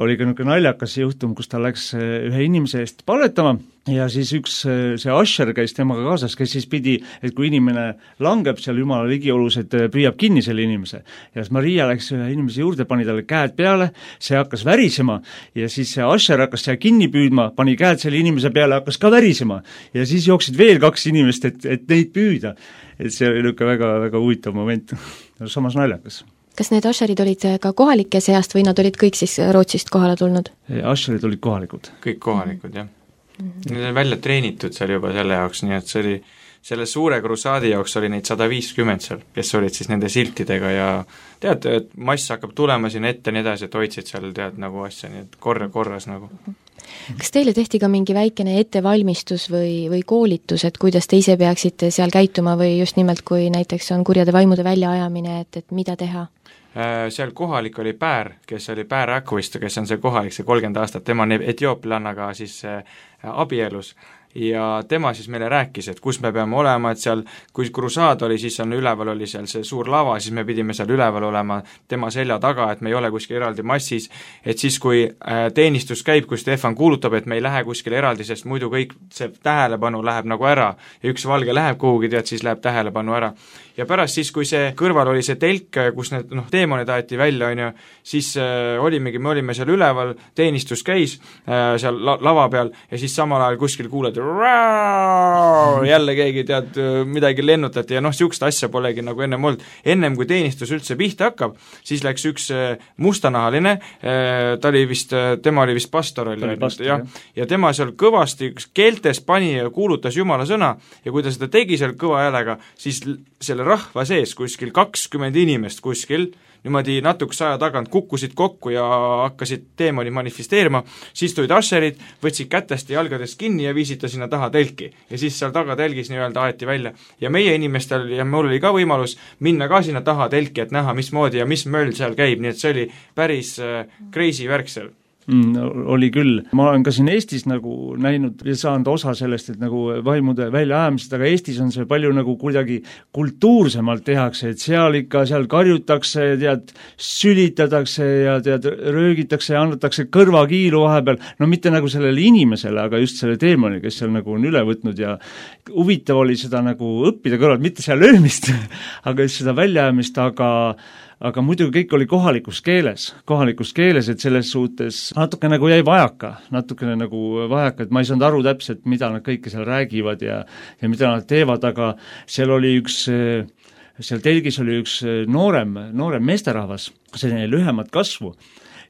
oli ka niisugune naljakas juhtum, kus ta läks ühe inimese eest palvetama ja siis üks see Asher käis temaga kaasas, kes siis pidi, et kui inimene langeb seal Jumala ligiolus, et püüab kinni selle inimese. Ja siis Maria läks ühe inimese juurde, pani talle käed peale, see hakkas värisema ja siis see Asher hakkas seal kinni püüdma, pani käed selle inimese peale, hakkas ka värisema ja siis jooksid veel kaks inimest, et, et neid püüda. Et see oli niisugune väga, väga huvitav moment, samas naljakas. Kas need Asherid olid ka kohalike seast või nad olid kõik siis Rootsist kohale tulnud? Asherid olid kohalikud. Kõik kohalikud, jah. Mm-hmm. Need on välja treenitud seal juba selle jaoks, nii et see oli, selle suure krusaadi jaoks oli neid sada viiskümmend seal, kes olid siis nende siltidega ja tead, et mass hakkab tulema siin ette nii edasi, et hoidsid seal tead nagu asja, nii et korra, korras nagu. Kas teile tehti ka mingi väikene ettevalmistus või, või koolitus, et kuidas te ise peaksite seal käituma või just nimelt, kui näiteks on kurjade vaimude väljaajamine, et, et mida teha? Seal kohalik oli Päär, kes oli Päär Äkvist, kes on see kohalik, see kolmkümmend aastat, tema on etioopilannaga siis abielus ja tema siis meile rääkis, et kus me peame olema, et seal, kui krusaad oli, siis on üleval oli seal see suur lava, siis me pidime seal üleval olema tema selja taga, et me ei ole kuskil eraldi massis, et siis, kui teenistus käib, kui Stefan kuulutab, et me ei lähe kuskil eraldi, sest muidu kõik see tähelepanu läheb nagu ära ja üks valge läheb kuhugi, tead, siis läheb tähelepanu ära. Ja pärast siis, kui see kõrval oli see telk, kus need noh, teemonid aeti välja, on ju, siis äh, olimegi, me olime seal üleval, teenistus käis äh, seal la- lava peal ja siis samal ajal kuskil kuuled jälle keegi tead, midagi lennutati ja noh, niisugust asja polegi nagu ennem olnud. Ennem kui teenistus üldse pihta hakkab, siis läks üks mustanahaline, ta oli vist, tema oli vist pastor, oli, pastor ja, ja tema seal kõvasti keeltes pani ja kuulutas Jumala sõna ja kui ta seda tegi seal kõva häälega, siis selle rahva sees kuskil kakskümmend inimest kuskil niimoodi natukese aja tagant kukkusid kokku ja hakkasid teemoni manifesteerima, siis tulid Asherid, võtsid kätest ja jalgadest kinni ja viisid ta sinna taha telki. Ja siis seal taga telgis nii-öelda aeti välja. Ja meie inimestel, ja mul oli ka võimalus minna ka sinna taha telki, et näha, mismoodi ja mis möll seal käib, nii et see oli päris äh, crazy värk seal. Mm, oli küll. Ma olen ka siin Eestis nagu näinud ja saanud osa sellest, et nagu vaimude väljaajamised, aga Eestis on see palju nagu kuidagi kultuursemalt tehakse, et seal ikka, seal karjutakse, tead, sülitatakse ja tead, röögitakse ja annatakse kõrvakiilu vahepeal, no mitte nagu sellele inimesele, aga just selle teemani, kes seal nagu on üle võtnud ja huvitav oli seda nagu õppida kõrvalt, mitte seal löömist, aga just seda väljaajamist, aga aga muidugi kõik oli kohalikus keeles, kohalikus keeles, et selles suhtes natuke nagu jäi vajaka, natukene nagu vajaka, et ma ei saanud aru täpselt, mida nad kõike seal räägivad ja, ja mida nad teevad, aga seal oli üks, seal telgis oli üks noorem, noorem meesterahvas, selline lühemat kasvu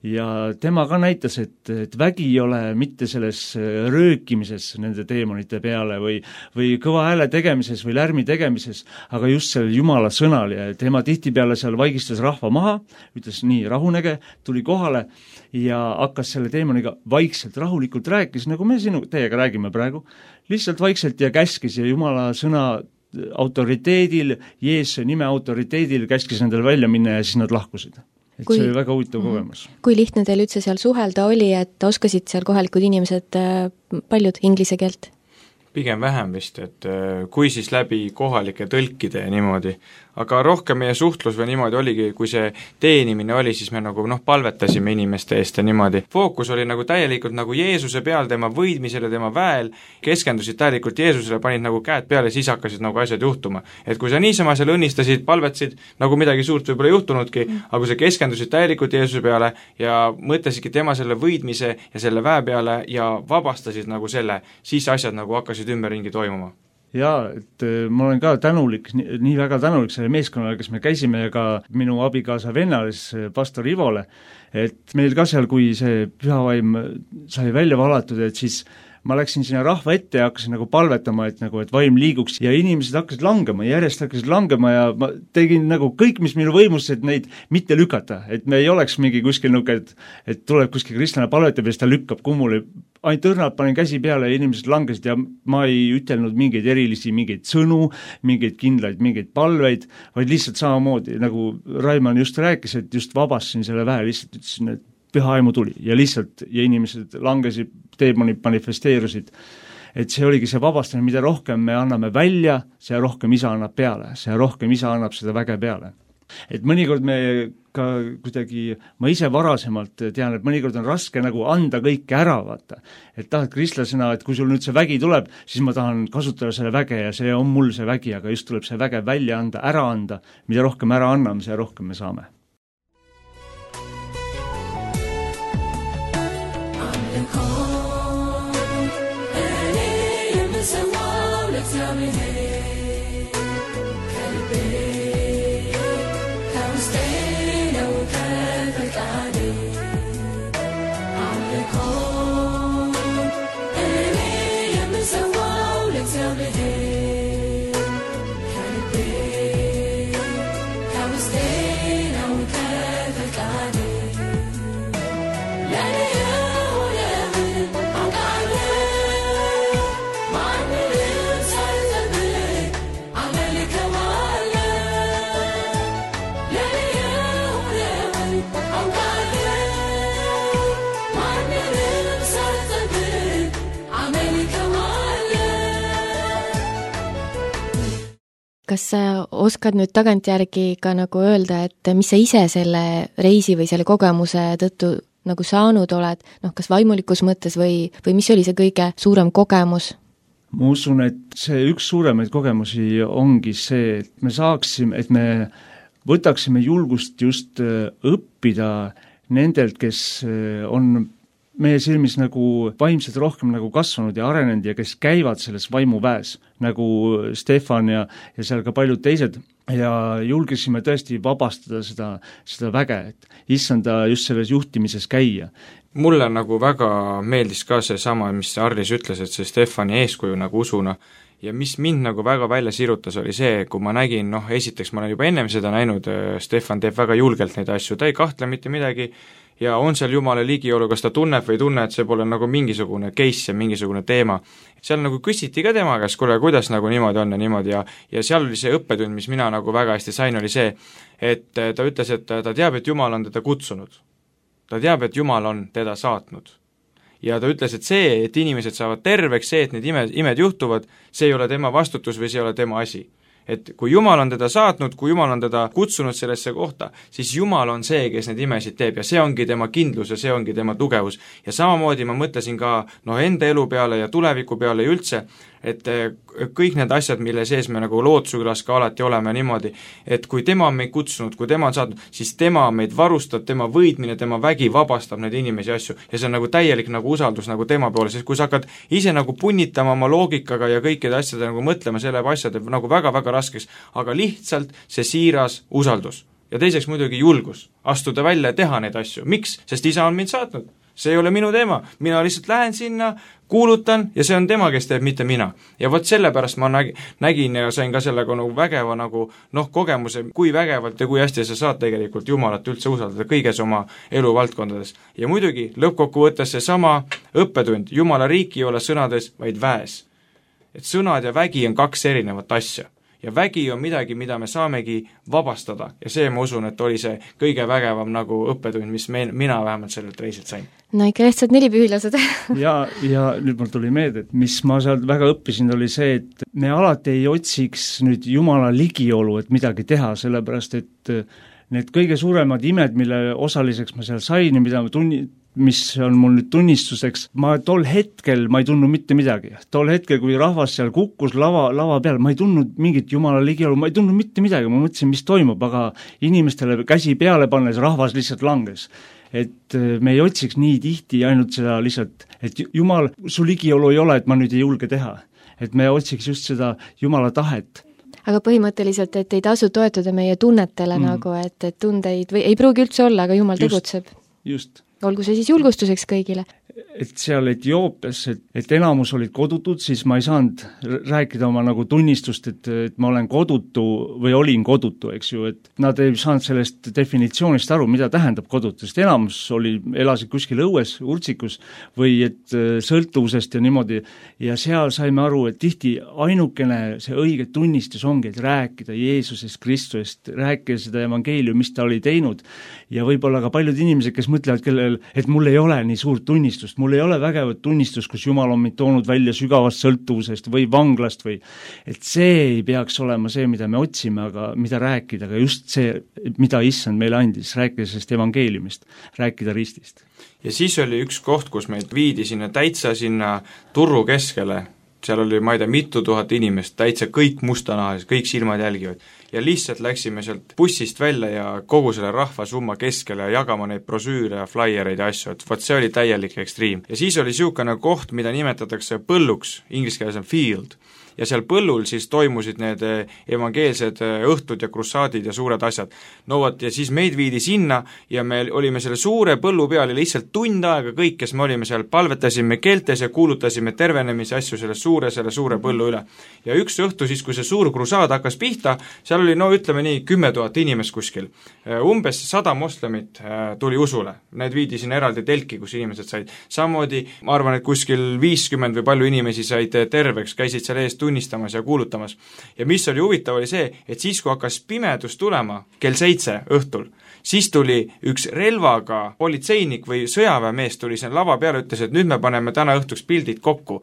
ja tema ka näitas, et, et vägi ei ole mitte selles röökimises nende teemonite peale või, või kõva hääle tegemises või lärmi tegemises, aga just selle Jumala sõnal ja tema tihtipeale seal vaigistas rahva maha, ütles nii, rahunege, tuli kohale ja hakkas selle teemoniga vaikselt, rahulikult rääkis, nagu me sinu, teiega räägime praegu, lihtsalt vaikselt ja käskis ja Jumala sõna autoriteedil, Jeesuse nime autoriteedil käskis nendel välja minna ja siis nad lahkusid. Et kui, see oli väga huvitav kogemus. Kui lihtne teil üldse seal suhelda oli, et oskasid seal kohalikud inimesed paljud inglise keelt? Pigem vähem vist, et kui siis läbi kohalike tõlkide ja niimoodi, aga rohkem meie suhtlus või niimoodi oligi, kui see teenimine oli, siis me nagu noh, palvetasime inimeste eest ja niimoodi. Fookus oli nagu täielikult nagu Jeesuse peal, tema võidmisele, tema väel, keskendusid täielikult Jeesusele, panid nagu käed peale ja siis hakkasid nagu asjad juhtuma. Et kui sa niisama seal õnnistasid, palvetasid, nagu midagi suurt võib-olla juhtunudki, mm. aga kui sa keskendusid täielikult Jeesuse peale ja mõtlesidki tema selle võidmise ja selle väe peale ja vabastasid nagu selle, siis asjad nagu hakkasid ümberringi toimuma. Jaa, et ma olen ka tänulik, nii, nii väga tänulik selle meeskonnale, kes me käisime ja ka minu abikaasa vennalis, pastor Ivole, et meil ka seal, kui see pühavaim sai välja valatud, et siis ma läksin sinna rahva ette ja hakkasin nagu palvetama, et nagu, et vaim liiguks ja inimesed hakkasid langema, järjest hakkasid langema ja ma tegin nagu kõik, mis minu võimus, et neid mitte lükata, et me ei oleks mingi kuskil nõuke, et, et tuleb kuskil kristlane palvetab ja siis ta lükkab kummuli, ainult õrnalt panin käsi peale ja inimesed langesid ja ma ei ütelnud mingeid erilisi, mingeid sõnu, mingeid kindlaid, mingeid palveid, vaid lihtsalt samamoodi, nagu Raimann just rääkis, et just vabastasin selle vähe, lihtsalt ütlesin, et püha aimu tuli ja lihtsalt, ja inimesed langesid, teemonid manifesteerusid. Et see oligi see vabastamine, mida rohkem me anname välja, see rohkem isa annab peale, see rohkem isa annab seda väge peale. Et mõnikord me ka kuidagi, ma ise varasemalt tean, et mõnikord on raske nagu anda kõike ära, vaata. Et tahad kristlasena, et kui sul nüüd see vägi tuleb, siis ma tahan kasutada selle väge ja see on mul see vägi, aga just tuleb see väge välja anda, ära anda, mida rohkem ära anname, see rohkem me saame. Kas sa oskad nüüd tagantjärgi ka nagu öelda, et mis sa ise selle reisi või selle kogemuse tõttu nagu saanud oled, noh, kas vaimulikus mõttes või, või mis oli see kõige suurem kogemus? Ma usun, et see üks suuremaid kogemusi ongi see, et me saaksime, et me võtaksime julgust just õppida nendelt, kes on meie silmis nagu vaimselt rohkem nagu kasvanud ja arenenud ja kes käivad selles vaimuväes, nagu Stefan ja, ja seal ka paljud teised, ja julgesime tõesti vabastada seda, seda väge, et issanda just selles juhtimises käia. Mulle nagu väga meeldis ka see sama, mis Arlis ütles, et see Stefani eeskuju nagu usuna, ja mis mind nagu väga välja sirutas, oli see, kui ma nägin, noh, esiteks ma olen juba ennem seda näinud, Stefan teeb väga julgelt neid asju, ta ei kahtle mitte midagi, ja on seal jumala ligiolu, kas ta tunneb või ei tunne, et see pole nagu mingisugune case ja mingisugune teema. Seal nagu küsiti ka tema käest, kuule, kuidas nagu niimoodi on ja niimoodi ja, ja seal oli see õppetund, mis mina nagu väga hästi sain, oli see, et ta ütles, et ta teab, et Jumal on teda kutsunud. Ta teab, et Jumal on teda saatnud. Ja ta ütles, et see, et inimesed saavad terveks, see, et need imed, imed juhtuvad, see ei ole tema vastutus või see ei ole tema asi. Et kui Jumal on teda saatnud, kui Jumal on teda kutsunud sellesse kohta, siis Jumal on see, kes need imesid teeb ja see ongi tema kindlus ja see ongi tema tugevus. Ja samamoodi ma mõtlesin ka no, enda elu peale ja tuleviku peale ja üldse, et kõik need asjad, mille sees me nagu lootusükülas ka alati oleme niimoodi, et kui tema on meid kutsunud, kui tema on saatnud, siis tema meid varustab, tema võidmine, tema vägi vabastab neid inimesi asju ja see on nagu täielik nagu usaldus nagu tema poole, sest kui sa hakkad ise nagu punnitama oma loogikaga ja kõikide asjade nagu mõtlema, selle asjade nagu väga-väga raskeks, aga lihtsalt see siiras usaldus. Ja teiseks muidugi julgus, astuda välja ja teha neid asju. Miks? Sest isa on mind saatnud. See ei ole minu teema, mina lihtsalt lähen sinna, kuulutan ja see on tema, kes teeb, mitte mina. Ja vot sellepärast ma nägin, nägin ja sain ka sellega nagu vägeva nagu noh, kogemuse, kui vägevalt ja kui hästi sa saad tegelikult Jumalat üldse usaldada kõiges oma eluvaldkondades. Ja muidugi lõppkokkuvõttes see sama õppetund, Jumala riik ei ole sõnades, vaid väes. Et sõnad ja vägi on kaks erinevat asja. Ja vägi on midagi, mida me saamegi vabastada ja see ma usun, et oli see kõige vägevam nagu õppetund, mis me, mina vähemalt sellelt reisilt sain. No ikka lihtsalt neli pühilased. ja, ja nüüd mul tuli meelde, et mis ma sealt väga õppisin, oli see, et me alati ei otsiks nüüd Jumala ligiolu, et midagi teha, sellepärast et need kõige suuremad imed, mille osaliseks ma seal sain ja mida ma tunni, mis on mul nüüd tunnistuseks, ma tol hetkel ma ei tundnud mitte midagi. Tol hetkel, kui rahvas seal kukkus lava, lava peal, ma ei tundnud mingit Jumala ligiolu, ma ei tundnud mitte midagi, ma mõtlesin, mis toimub, aga inimestele käsi peale pannes rahvas lihtsalt langes. Et me ei otsiks nii tihti ainult seda lihtsalt, et Jumal, su ligiolu ei ole, et ma nüüd ei julge teha. Et me otsiks just seda Jumala tahet. Aga põhimõtteliselt, et ei tasu toetuda meie tunnetele mm. nagu, et, et tundeid või ei pruugi üldse olla, aga Jumal just, tegutseb. Just. Olgu see siis julgustuseks kõigile. et seal Etioopias, et, et enamus olid kodutud, siis ma ei saanud rääkida oma nagu tunnistust, et, et ma olen kodutu või olin kodutu, eks ju, et nad ei saanud sellest definitsioonist aru, mida tähendab kodutu, sest enamus oli, elasid kuskil õues, urtsikus või et sõltuvusest ja niimoodi, ja seal saime aru, et tihti ainukene see õige tunnistus ongi, et rääkida Jeesusest, Kristusest, rääkida seda evangeeliumi, mis ta oli teinud, ja võib-olla ka paljud inimesed, kes mõtlevad, kellel, et mul ei ole nii suurt tunnistust, mul ei ole vägevat tunnistust, kus Jumal on mind toonud välja sügavast sõltuvusest või vanglast või et see ei peaks olema see, mida me otsime, aga mida rääkida, aga just see, mida Issand meile andis, rääkida sellest evangeeliumist, rääkida ristist. Ja siis oli üks koht, kus meid viidi sinna täitsa sinna turru keskele, seal oli, ma ei tea, mitu tuhat inimest, täitsa kõik mustanahalised, kõik silmad jälgivad. Ja lihtsalt läksime sealt bussist välja ja kogu selle rahvasumma keskele ja jagama neid brosüüre ja flyreid ja asju, et vot see oli täielik ekstriim. Ja siis oli niisugune koht, mida nimetatakse põlluks, inglise keeles on field, ja seal põllul siis toimusid need evangeelsed õhtud ja krussaadid ja suured asjad. No vot, ja siis meid viidi sinna ja me olime selle suure põllu peal ja lihtsalt tund aega kõik, kes me olime seal, palvetasime keeltes ja kuulutasime tervenemise asju selle suure, selle suure põllu üle. Ja üks õhtu siis, kui see suur krussaad hakkas pihta, seal oli, no ütleme nii, kümme tuhat inimest kuskil. Umbes sada moslemit tuli usule. Need viidi sinna eraldi telki, kus inimesed said. Samamoodi, ma arvan, et kuskil viiskümmend või palju inimesi said terveks, käisid seal eest tunnistamas ja kuulutamas. Ja mis oli huvitav, oli see, et siis, kui hakkas pimedus tulema kell seitse õhtul, siis tuli üks relvaga politseinik või sõjaväemees tuli siin lava peale, ütles, et nüüd me paneme täna õhtuks pildid kokku.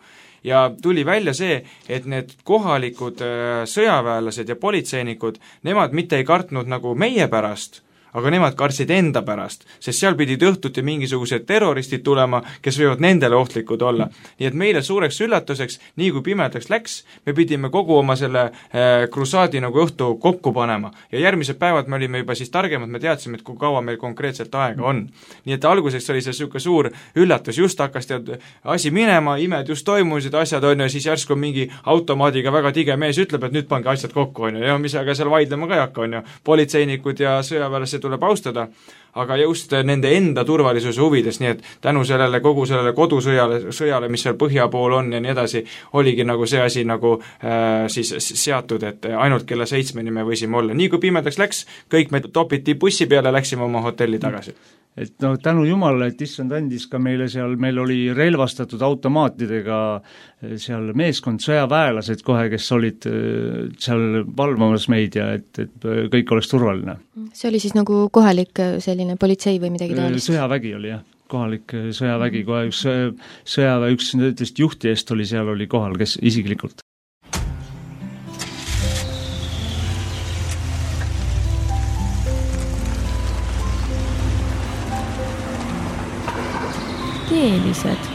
Ja tuli välja see, et need kohalikud sõjaväelased ja politseinikud, nemad mitte ei kartnud nagu meie pärast, aga nemad kartsid enda pärast, sest seal pidid õhtuti mingisugused terroristid tulema, kes võivad nendele ohtlikud olla. Nii et meile suureks üllatuseks, nii kui pimedaks läks, me pidime kogu oma selle äh, krusaadi nagu õhtu kokku panema. Ja järgmised päevad me olime juba siis targemad, me teadsime, et kui kaua meil konkreetselt aega on. Nii et alguseks oli see niisugune suur üllatus, just hakkas tead asi minema, imed just toimusid, asjad on ja siis järsku mingi automaadiga väga tige mees ütleb, et nüüd pange asjad kokku, on ju, ja mis aga seal vaidlema ka ei hakka, on ju. Politseinikud ja sõjaväelased tuleb austada, aga just nende enda turvalisuse huvides, nii et tänu sellele kogu sellele kodusõjale, sõjale, mis seal põhja pool on ja nii edasi, oligi nagu see asi nagu äh, siis seatud, et ainult kella seitsmeni me võisime olla. Nii kui pimedaks läks, kõik me topiti bussi peale, läksime oma hotelli tagasi. Et no tänu Jumalale, et Issand andis ka meile seal, meil oli relvastatud automaatidega seal meeskond, sõjaväelased kohe, kes olid seal valvamas meid ja et, et kõik oleks turvaline. See oli siis nagu kohalik selline politsei või midagi taolist? Sõjavägi oli jah, kohalik sõjavägi, kohe üks sõjaväe, üks nendest juhtidest oli seal, oli kohal, kes isiklikult. Keelised.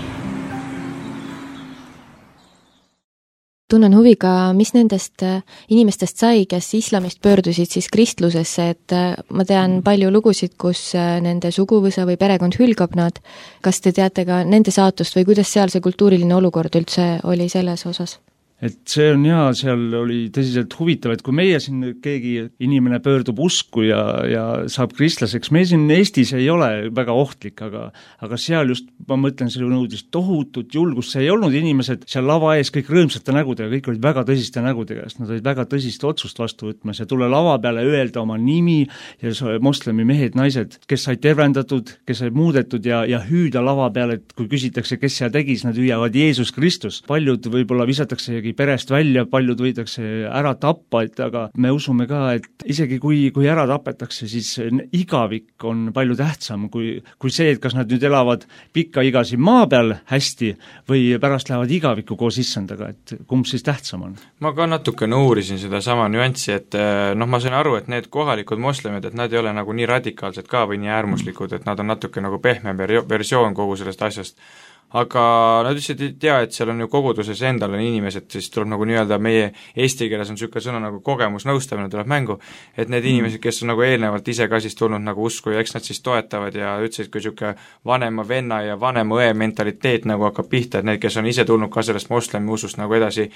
Tunnen huvi ka, mis nendest inimestest sai, kes islamist pöördusid siis kristlusesse, et ma tean palju lugusid, kus nende suguvõsa või perekond hülgab nad. Kas te teate ka nende saatust või kuidas seal see kultuuriline olukord üldse oli selles osas? Et see on hea, seal oli tõsiselt huvitav, et kui meie siin keegi inimene pöördub usku ja, ja saab kristlaseks, me siin Eestis ei ole väga ohtlik, aga, aga seal just, ma mõtlen, see nõudis tohutut julgust, see ei olnud inimesed seal lava ees kõik rõõmsate nägudega, kõik olid väga tõsiste nägudega, sest nad olid väga tõsist otsust vastu võtmas ja tule lava peale öelda oma nimi ja moslemi mehed, naised, kes said tervendatud, kes said muudetud ja, ja hüüda lava peale, et kui küsitakse, kes seal tegis, nad hüüavad Jeesus Kristus. Paljud võib-olla visatakse perest välja, paljud võidakse ära tappa, et aga me usume ka, et isegi kui, kui ära tapetakse, siis igavik on palju tähtsam kui, kui see, et kas nad nüüd elavad pikka igasi maa peal hästi või pärast lähevad igavikku koos issandaga, et kumb siis tähtsam on? Ma ka natukene uurisin seda sama nüanssi, et noh, ma sain aru, et need kohalikud moslemid, et nad ei ole nagu nii radikaalsed ka või nii äärmuslikud, et nad on natuke nagu pehme versioon kogu sellest asjast. aga nad ütlesid, et tea, et seal on ju koguduses endal on inimesed, siis tuleb nagu nii-öelda meie eesti keeles on niisugune sõna nagu kogemusnõustamine tuleb mängu, et need inimesed, kes on nagu eelnevalt ise ka siis tulnud nagu usku ja eks nad siis toetavad ja ütlesid, kui niisugune vanema venna ja vanema õe mentaliteet nagu hakkab pihta, et need, kes on ise tulnud ka sellest moslemi usust nagu edasi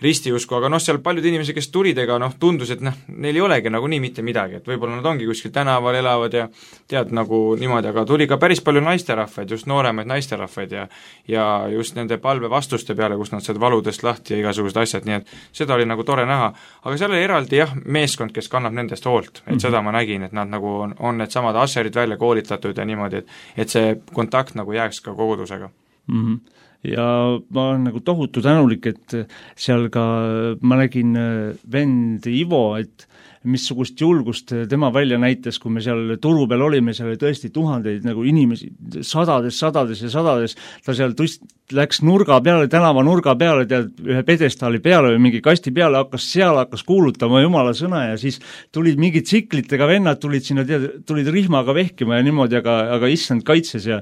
ristiusku, aga noh, seal paljud inimesed, kes tulid, ega noh, tundus, et noh, neil ei olegi nagu nii mitte midagi, et võib-olla nad ongi kuskil tänaval elavad ja tead nagu niimoodi, aga tuli ka päris palju naisterahvaid, just nooremaid naisterahvaid ja ja just nende palve vastuste peale, kus nad said valudest lahti ja igasugused asjad, nii et seda oli nagu tore näha, aga seal oli eraldi jah, meeskond, kes kannab nendest hoolt, et mm -hmm. seda ma nägin, et nad nagu on, on need samad asserid välja koolitatud ja niimoodi, et et see kontakt nagu jääks ka kogudusega mm. -hmm. Ja ma olen nagu tohutu tänulik, et seal ka ma nägin vend Ivo, et missugust julgust tema välja näitas, kui me seal turu peal olime, seal oli tõesti tuhandeid nagu inimesi, sadades, sadades ja sadades, ta seal tust, läks nurga peale, tänava nurga peale, tead, ühe pedestaali peale või mingi kasti peale, hakkas seal, hakkas kuulutama Jumala sõna ja siis tulid mingid tsiklitega vennad, tulid sinna, tead, tulid rihmaga vehkima ja niimoodi, aga, aga issand kaitses ja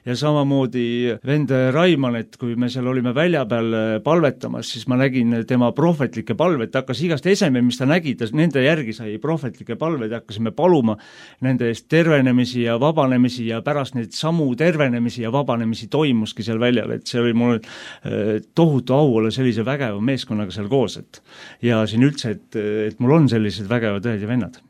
ja samamoodi vend Raimann, et kui me seal olime välja peal palvetamas, siis ma nägin tema prohvetlikke palveid, ta hakkas igast eseme, mis ta nägi, ta nende järgi sai prohvetlikke palveid, hakkasime paluma nende eest tervenemisi ja vabanemisi ja pärast neid samu tervenemisi ja vabanemisi toimuski seal väljal, et see oli mul tohutu au olla sellise vägeva meeskonnaga seal koos, et ja siin üldse, et, et mul on sellised vägevad õed ja vennad.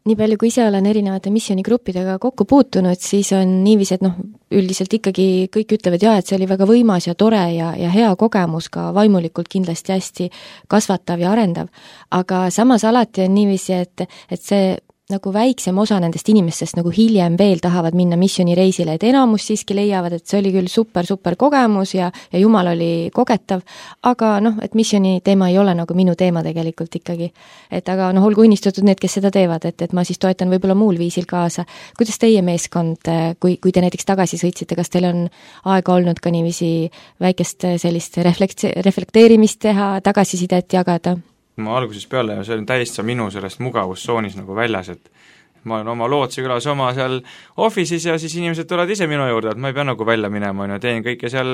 Nii palju, kui ise olen erinevate missioonigruppidega kokku puutunud, siis on niiviisi, et noh, üldiselt ikkagi kõik ütlevad jah, et see oli väga võimas ja tore ja, ja hea kogemus, ka vaimulikult kindlasti hästi kasvatav ja arendav. Aga samas alati on niiviisi, et, et see nagu väiksem osa nendest inimestest nagu hiljem veel tahavad minna missioonireisile, et enamus siiski leiavad, et see oli küll super, super kogemus ja, ja Jumal oli kogetav, aga noh, et missiooni teema ei ole nagu minu teema tegelikult ikkagi. Et aga noh, olgu õnnistatud need, kes seda teevad, et, et ma siis toetan võib-olla muul viisil kaasa. Kuidas teie meeskond, kui, kui te näiteks tagasi sõitsite, kas teil on aega olnud ka niiviisi väikest sellist reflekt- reflekteerimist teha, tagasisidet jagada? Ma alguses peale ja see on täiesti minu sellest mugavustsoonis nagu väljas, et ma olen oma Lootsi külas oma seal office'is ja siis inimesed tulevad ise minu juurde, et ma ei pea nagu välja minema, ja teen kõike seal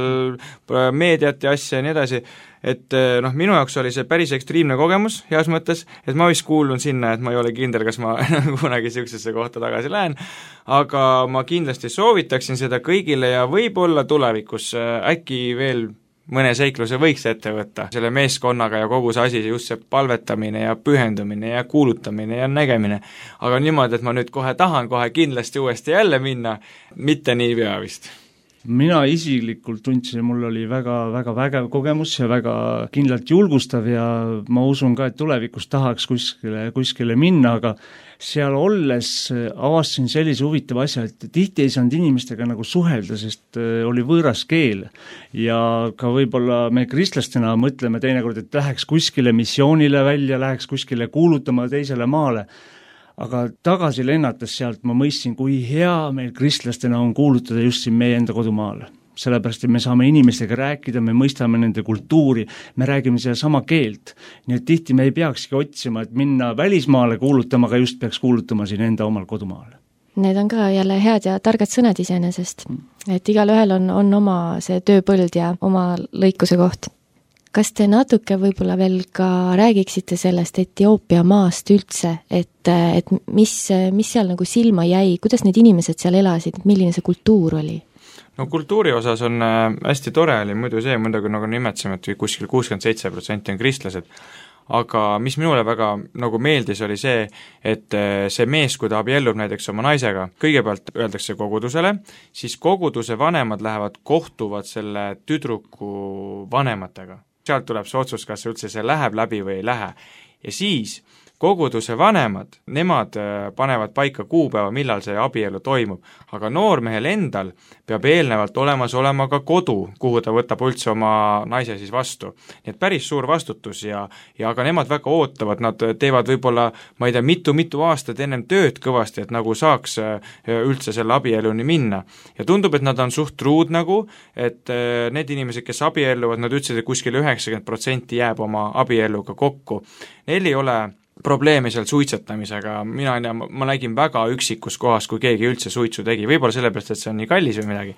meediat ja asja ja nii edasi, et noh, minu jaoks oli see päris ekstriimne kogemus heas mõttes, et ma vist kuulun sinna, et ma ei ole kindel, kas ma kunagi niisugusesse kohta tagasi lähen, aga ma kindlasti soovitaksin seda kõigile ja võib-olla tulevikus äkki veel mõne seikluse võiks ette võtta selle meeskonnaga ja kogu see asi, just see palvetamine ja pühendumine ja kuulutamine ja nägemine, aga niimoodi, et ma nüüd kohe tahan kohe kindlasti uuesti jälle minna, mitte nii pea vist. Mina isiklikult tundsin, mul oli väga, väga vägev kogemus ja väga kindlalt julgustav ja ma usun ka, et tulevikus tahaks kuskile, kuskile minna, aga seal olles avastasin sellise huvitava asja, et tihti ei saanud inimestega nagu suhelda, sest oli võõras keel ja ka võib-olla me kristlastena mõtleme teinekord, et läheks kuskile missioonile välja, läheks kuskile kuulutama teisele maale, aga tagasi lennates sealt ma mõistsin, kui hea meil kristlastena on kuulutada just siin meie enda kodumaal. Sellepärast, et me saame inimestega rääkida, me mõistame nende kultuuri, me räägime seda sama keelt. Nii et tihti me ei peakski otsima, et minna välismaale kuulutama, aga just peaks kuulutama siin enda omal kodumaal. Need on ka jälle head ja targad sõnad iseenesest, et igal ühel on, on oma see tööpõld ja oma lõikuse koht. Kas te natuke võib-olla veel ka räägiksite sellest Etioopia maast üldse, et, et mis, mis seal nagu silma jäi, kuidas need inimesed seal elasid, milline see kultuur oli? No kultuuri osas on hästi tore oli muidu see, muidugi nagu nimetsime, et kuskil kuuskümmend seitse protsenti on kristlased, aga mis minule väga nagu meeldis, oli see, et see mees, kui ta abiellub näiteks oma naisega, kõigepealt öeldakse kogudusele, siis koguduse vanemad lähevad, kohtuvad selle tüdruku vanematega. Sealt tuleb see otsus, kas üldse see läheb läbi või ei lähe. Ja siis koguduse vanemad, nemad panevad paika kuupäeva, millal see abielu toimub, aga noormehel endal peab eelnevalt olemas olema ka kodu, kuhu ta võtab üldse oma naise siis vastu. Nii et päris suur vastutus ja, ja aga nemad väga ootavad, nad teevad võib-olla, ma ei tea, mitu-mitu aastat ennem tööd kõvasti, et nagu saaks üldse selle abieluni minna. Ja tundub, et nad on suht truud nagu, et need inimesed, kes abielluvad, nad ütlesid, et kuskil üheksakümmend protsenti jääb oma abielluga kokku. Neil ei ole probleemi seal suitsetamisega, mina ei tea, ma nägin väga üksikus kohas, kui keegi üldse suitsu tegi, võib-olla sellepärast, et see on nii kallis või midagi,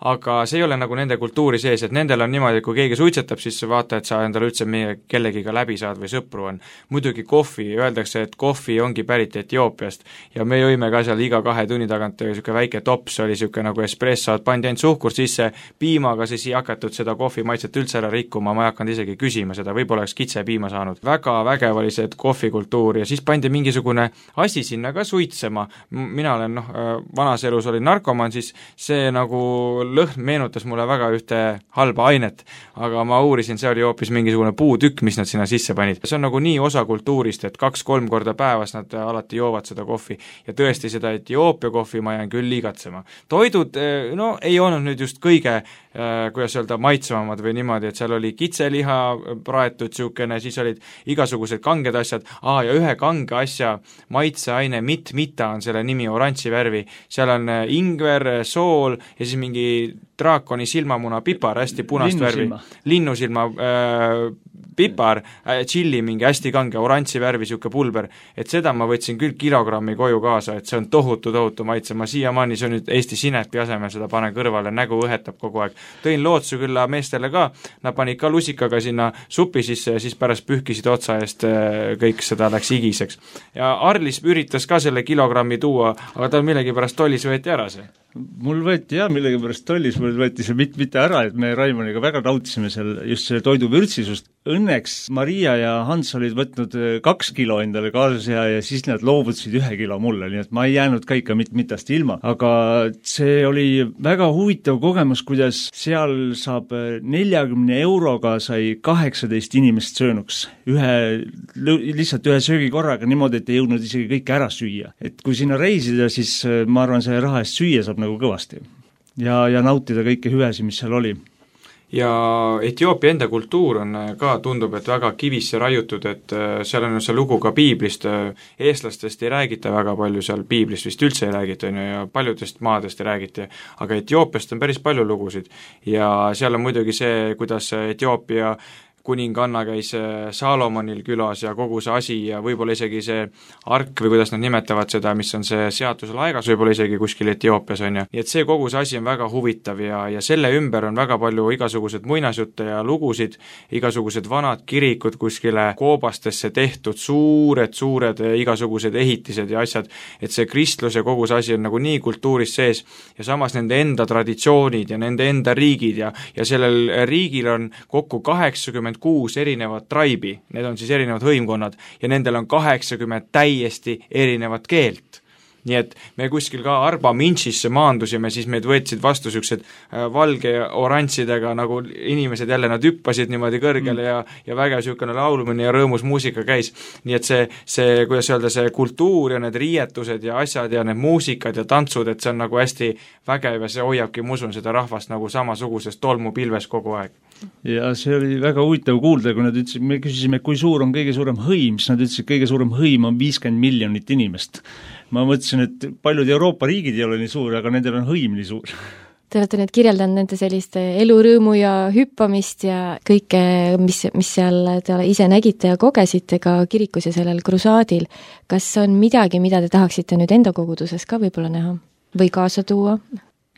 aga see ei ole nagu nende kultuuri sees, et nendel on niimoodi, et kui keegi suitsetab, siis vaata, et sa endale üldse meie kellegiga läbi saad või sõpru on. Muidugi kohvi, öeldakse, et kohvi ongi pärit Etioopiast ja me jõime ka seal iga kahe tunni tagant niisugune väike tops, oli niisugune nagu espresso, et pandi ainult suhkur sisse, piimaga siis ei hakatud seda kohvi maitset üldse ära rikkuma, ma ei hakanud isegi küsima seda, võib-olla oleks kitse piima saanud. Väga vägev oli see kohvikultuur ja siis pandi mingisugune asi sinna ka suitsema. Mina olen, noh, vanas elus olin narkoman, siis see nagu lõhn meenutas mulle väga ühte halba ainet, aga ma uurisin, see oli hoopis mingisugune puutükk, mis nad sinna sisse panid. See on nagu nii osa kultuurist, et kaks-kolm korda päevas nad alati joovad seda kohvi ja tõesti seda Etioopia kohvi ma jään küll liigatsema. Toidud, no ei olnud nüüd just kõige, kuidas öelda, maitsvamad või niimoodi, et seal oli kitseliha praetud siukene, siis olid igasugused kanged asjad, aa ja ühe kange asja maitseaine mit-mita on selle nimi, oranži värvi, seal on ingver, sool ja siis mingi draakoni silmamuna pipar, hästi punast värvi, linnusilma äh, pipar, äh, tšilli mingi hästi kange, oranži värvi siuke pulber, et seda ma võtsin küll kilogrammi koju kaasa, et see on tohutu, tohutu maitse, ma siiamaani, see on nüüd Eesti sinepi asemel, seda panen kõrvale, nägu õhetab kogu aeg. Tõin lootsu külla meestele ka, nad panid ka lusikaga sinna supi sisse ja siis pärast pühkisid otsa eest äh, kõik seda läks igiseks. Ja Arlis üritas ka selle kilogrammi tuua, aga tal millegipärast tollis võeti ära see. Mul võeti jah, millegipärast tollis, mul võeti see mit, mitte ära, et me Raimoniga väga nautisime seal just selle toidu vürtsisust. Õnneks Maria ja Hans olid võtnud kaks kilo endale kaasas ja, ja siis nad loovutasid ühe kilo mulle, nii et ma ei jäänud ka ikka mit, mitast ilma. Aga see oli väga huvitav kogemus, kuidas seal saab neljakümne euroga sai kaheksateist inimest söönuks. Ühe, lihtsalt ühe söögikorraga niimoodi, et ei jõudnud isegi kõike ära süüa. Et kui sinna reisida, siis ma arvan, see raha eest süüa saab nagu kõvasti ja, ja nautida kõike hüvesi, mis seal oli. Ja Etioopia enda kultuur on ka, tundub, et väga kivisse raiutud, et seal on see lugu ka piiblist, eestlastest ei räägita väga palju seal, piiblist vist üldse ei räägita ja paljudest maadest ei räägita, aga Etiopiast on päris palju lugusid ja seal on muidugi see, kuidas Etioopia kuninganna käis Saalomonil külas ja kogu see asi ja võib-olla isegi see ark või kuidas nad nimetavad seda, mis on see seaduse laegas, võib-olla isegi kuskil Etioopias on ja. Nii et see kogu see asi on väga huvitav ja, ja selle ümber on väga palju igasugused muinasjutte ja lugusid, igasugused vanad kirikud kuskile koobastesse tehtud, suured, suured igasugused ehitised ja asjad, et see kristlus ja kogu see asi on nagu nii kultuuris sees ja samas nende enda traditsioonid ja nende enda riigid ja, ja sellel riigil on kokku kaheksakümmend kuus erinevat traibi, need on siis erinevad hõimkonnad ja nendel on kaheksakümmend täiesti erinevat keelt. Nii et me kuskil ka Arba Minšisse maandusime, siis meid võtsid vastu siuksed valge oranžidega nagu inimesed jälle, nad hüppasid niimoodi kõrgele ja, ja vägev siukene laulmine ja rõõmus muusika käis. Nii et see, see, kuidas öelda, see kultuur ja need riietused ja asjad ja need muusikad ja tantsud, et see on nagu hästi vägev ja see hoiabki, ma usun, seda rahvast nagu samasuguses tolmupilves kogu aeg. Ja see oli väga huvitav kuulda, kui nad ütlesid, me küsisime, kui suur on kõige suurem hõim, siis nad ütlesid, kõige suurem hõim on viiskümmend miljonit inimest. Ma mõtlesin, et paljud Euroopa riigid ei ole nii suur, aga nendel on hõim nii suur. Te olete nüüd kirjeldanud nende sellist elurõõmu ja hüppamist ja kõike, mis, mis seal te ise nägite ja kogesite ka kirikus ja sellel krusaadil. Kas on midagi, mida te tahaksite nüüd enda koguduses ka võib-olla näha või kaasa tuua?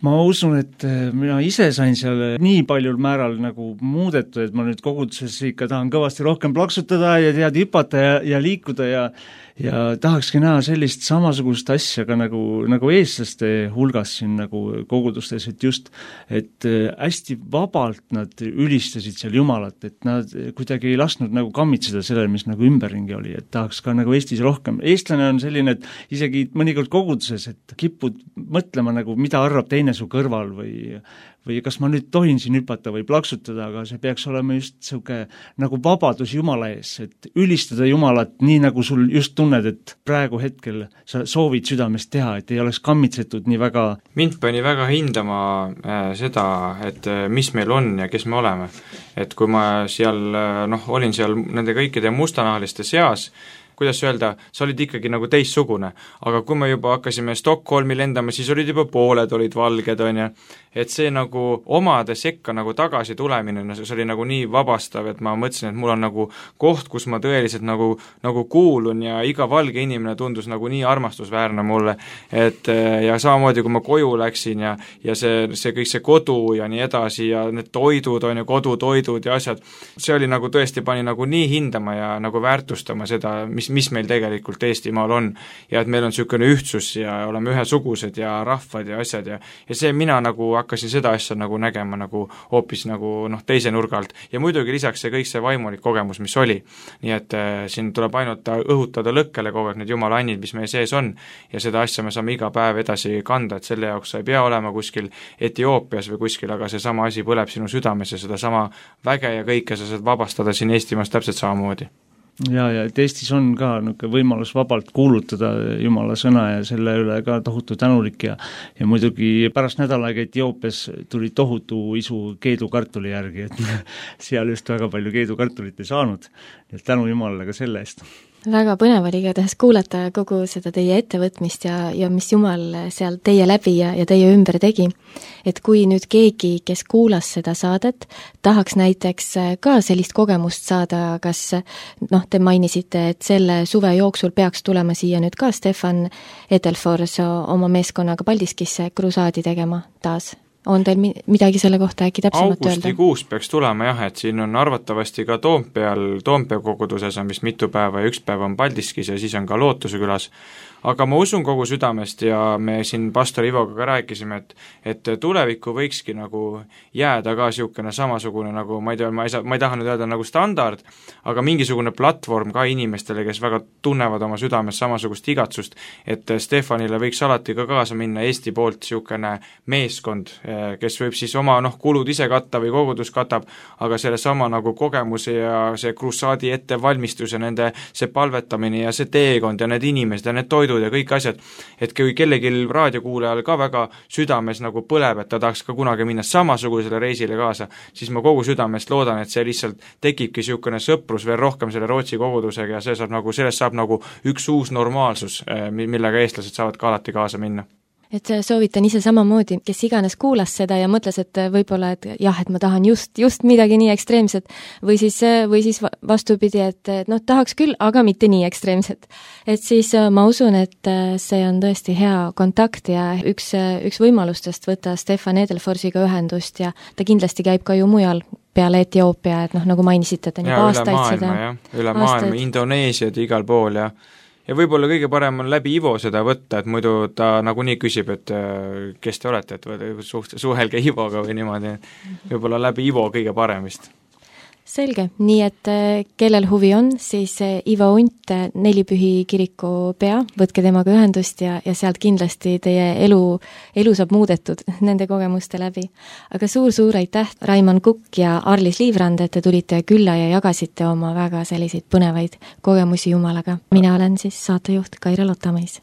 Ma usun, et mina ise sain seal nii paljul määral nagu muudetud, et ma nüüd koguduses ikka tahan kõvasti rohkem plaksutada ja tead hüpata ja, ja liikuda ja ja tahakski näha sellist samasugust asja ka nagu, nagu eestlaste hulgas siin nagu kogudustes, et just, et hästi vabalt nad ülistasid seal Jumalat, et nad kuidagi ei lasknud nagu kammitseda sellele, mis nagu ümberringi oli, et tahaks ka nagu Eestis rohkem. Eestlane on selline, et isegi mõnikord koguduses, et kipud mõtlema nagu, mida arvab teine su kõrval või või kas ma nüüd tohin siin hüpata või plaksutada, aga see peaks olema just siuke nagu vabadus Jumala ees, et ülistada Jumalat nii, nagu sul just tunned, et praegu hetkel sa soovid südamest teha, et ei oleks kammitsetud nii väga. Mind pani väga hindama äh, seda, et äh, mis meil on ja kes me oleme. Et kui ma seal, noh, olin seal nende kõikide mustanahaliste seas, kuidas öelda, sa olid ikkagi nagu teissugune. Aga kui me juba hakkasime Stockholmi lendama, siis olid juba pooled olid valged, on ju, et see nagu omade sekka nagu tagasi tulemine, see oli nagu nii vabastav, et ma mõtlesin, et mul on nagu koht, kus ma tõeliselt nagu, nagu kuulun ja iga valge inimene tundus nagu nii armastusväärne mulle, et ja samamoodi, kui ma koju läksin ja, ja see, see kõik see kodu ja nii edasi ja need toidud on ju, kodutoidud ja asjad, see oli nagu tõesti pani nagu nii hindama ja nagu väärtustama seda, mis, mis meil tegelikult Eestimaal on ja et meil on niisugune ühtsus ja oleme ühesugused ja rahvad ja asjad ja, ja see mina nagu hakkasin seda asja nagu nägema nagu hoopis nagu noh, teise nurga alt ja muidugi lisaks see kõik see vaimulik kogemus, mis oli. Nii et äh, siin tuleb ainult õhutada lõkkele kogu aeg need jumala annid, mis meie sees on ja seda asja me saame iga päev edasi kanda, et selle jaoks sa ei pea olema kuskil Etioopias või kuskil, aga seesama asi põleb sinu südames ja sedasama väge ja kõike sa saad vabastada siin Eestimaas täpselt samamoodi. Ja, ja et Eestis on ka niisugune võimalus vabalt kuulutada Jumala sõna ja selle üle ka tohutu tänulik ja ja muidugi pärast nädal aega Etioopias tuli tohutu isu keedukartuli järgi, et seal just väga palju keedukartulit ei saanud, et tänu Jumalale ka selle eest. Väga põnev oli igatahes kuulata kogu seda teie ettevõtmist ja, ja mis Jumal seal teie läbi ja, ja teie ümber tegi. Et kui nüüd keegi, kes kuulas seda saadet, tahaks näiteks ka sellist kogemust saada, kas noh, te mainisite, et selle suve jooksul peaks tulema siia nüüd ka Stefan Edelfors oma meeskonnaga Paldiskisse krusaadi tegema taas? On teil midagi selle kohta äkki täpsemalt öelda? Augustikuus peaks tulema jah, et siin on arvatavasti ka Toompeal, Toompea koguduses on vist mitu päeva ja üks päev on Paldiskis ja siis on ka Lootuse külas. Aga ma usun kogu südamest ja me siin pastor Ivoga ka rääkisime, et, et tulevikku võikski nagu jääda ka niisugune samasugune nagu, ma ei tea, ma ei saa, ma ei taha nüüd öelda nagu standard, aga mingisugune platvorm ka inimestele, kes väga tunnevad oma südames samasugust igatsust, et Stefanile võiks alati ka kaasa minna Eesti poolt niisugune meeskond, kes võib siis oma noh, kulud ise katta või kogudus katab, aga selle sama nagu kogemuse ja see krusaadi ettevalmistus ja nende see palvetamine ja see teekond ja need inimesed ja need toidud ja kõik asjad, et kui kellegi raadiokuulajal ka väga südames nagu põleb, et ta tahaks ka kunagi minna samasugusele reisile kaasa, siis ma kogu südamest loodan, et see lihtsalt tekibki niisugune sõprus veel rohkem selle Rootsi kogudusega ja see saab nagu, sellest saab nagu üks uus normaalsus, millega eestlased saavad ka alati kaasa minna. Et soovitan ise samamoodi, kes iganes kuulas seda ja mõtles, et võib-olla, et jah, et ma tahan just, just midagi nii ekstreemset või siis, või siis vastupidi, et noh, tahaks küll, aga mitte nii ekstreemset. Et siis ma usun, et see on tõesti hea kontakt ja üks, üks võimalustest võtta Stefan Edelforsiga ühendust ja ta kindlasti käib ka ju mujal peale Etioopia, et noh, nagu mainisite, et on juba aastaid seda. Üle maailma, Indoneesiad igal pool ja ja võib-olla kõige parem on läbi Ivo seda võtta, et muidu ta nagunii küsib, et kes te olete, et suht, suhelge Ivoga või niimoodi, võib-olla läbi Ivo kõige parem vist. Selge, nii et kellel huvi on, siis Ivo Unt, Nelipühi kiriku pea, võtke temaga ühendust ja, ja sealt kindlasti teie elu, elu saab muudetud nende kogemuste läbi. Aga suur-suur aitäh, Raimond Kukk ja Arlis Liivrand, et te tulite külla ja jagasite oma väga selliseid põnevaid kogemusi Jumalaga. Mina olen siis saatejuht Kaire Lotamõis.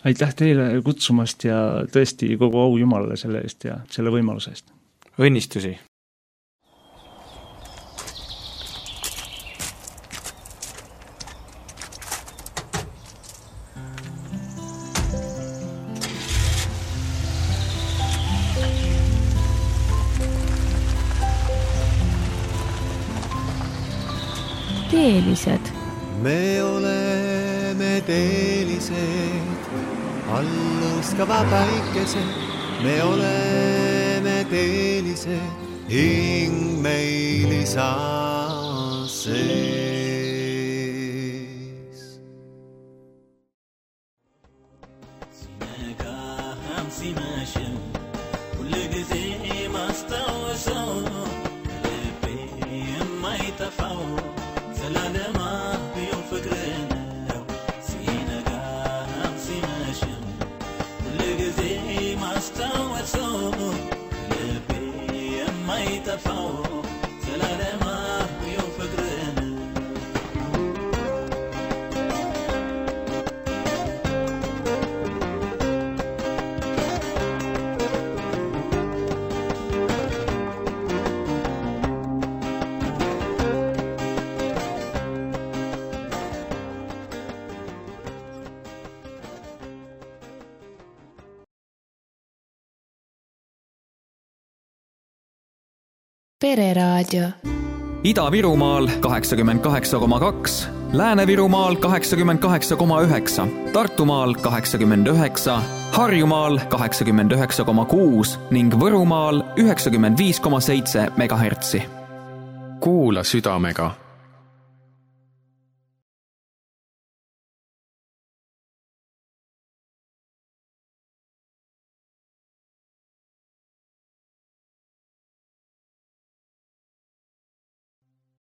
Aitäh teile kutsumast ja tõesti kogu au Jumalale selle eest ja selle võimaluse eest. Õnnistusi! Teelised. Me oleme teelised, alluskava päikesed. Me oleme teelised, hing meil isa sees. Sinega hamsi mašem, kulle gize mastawaso, lepe mai tafao. Pereraadio. Ida-Virumaal kaheksakümmend kaheksa koma kaks, Lääne-Virumaal kaheksakümmend kaheksa koma üheksa, Tartumaal kaheksakümmend üheksa, Harjumaal kaheksakümmend üheksa koma kuus ning Võrumaal üheksakümmend viis koma seitse megahertsi. Kuula südamega.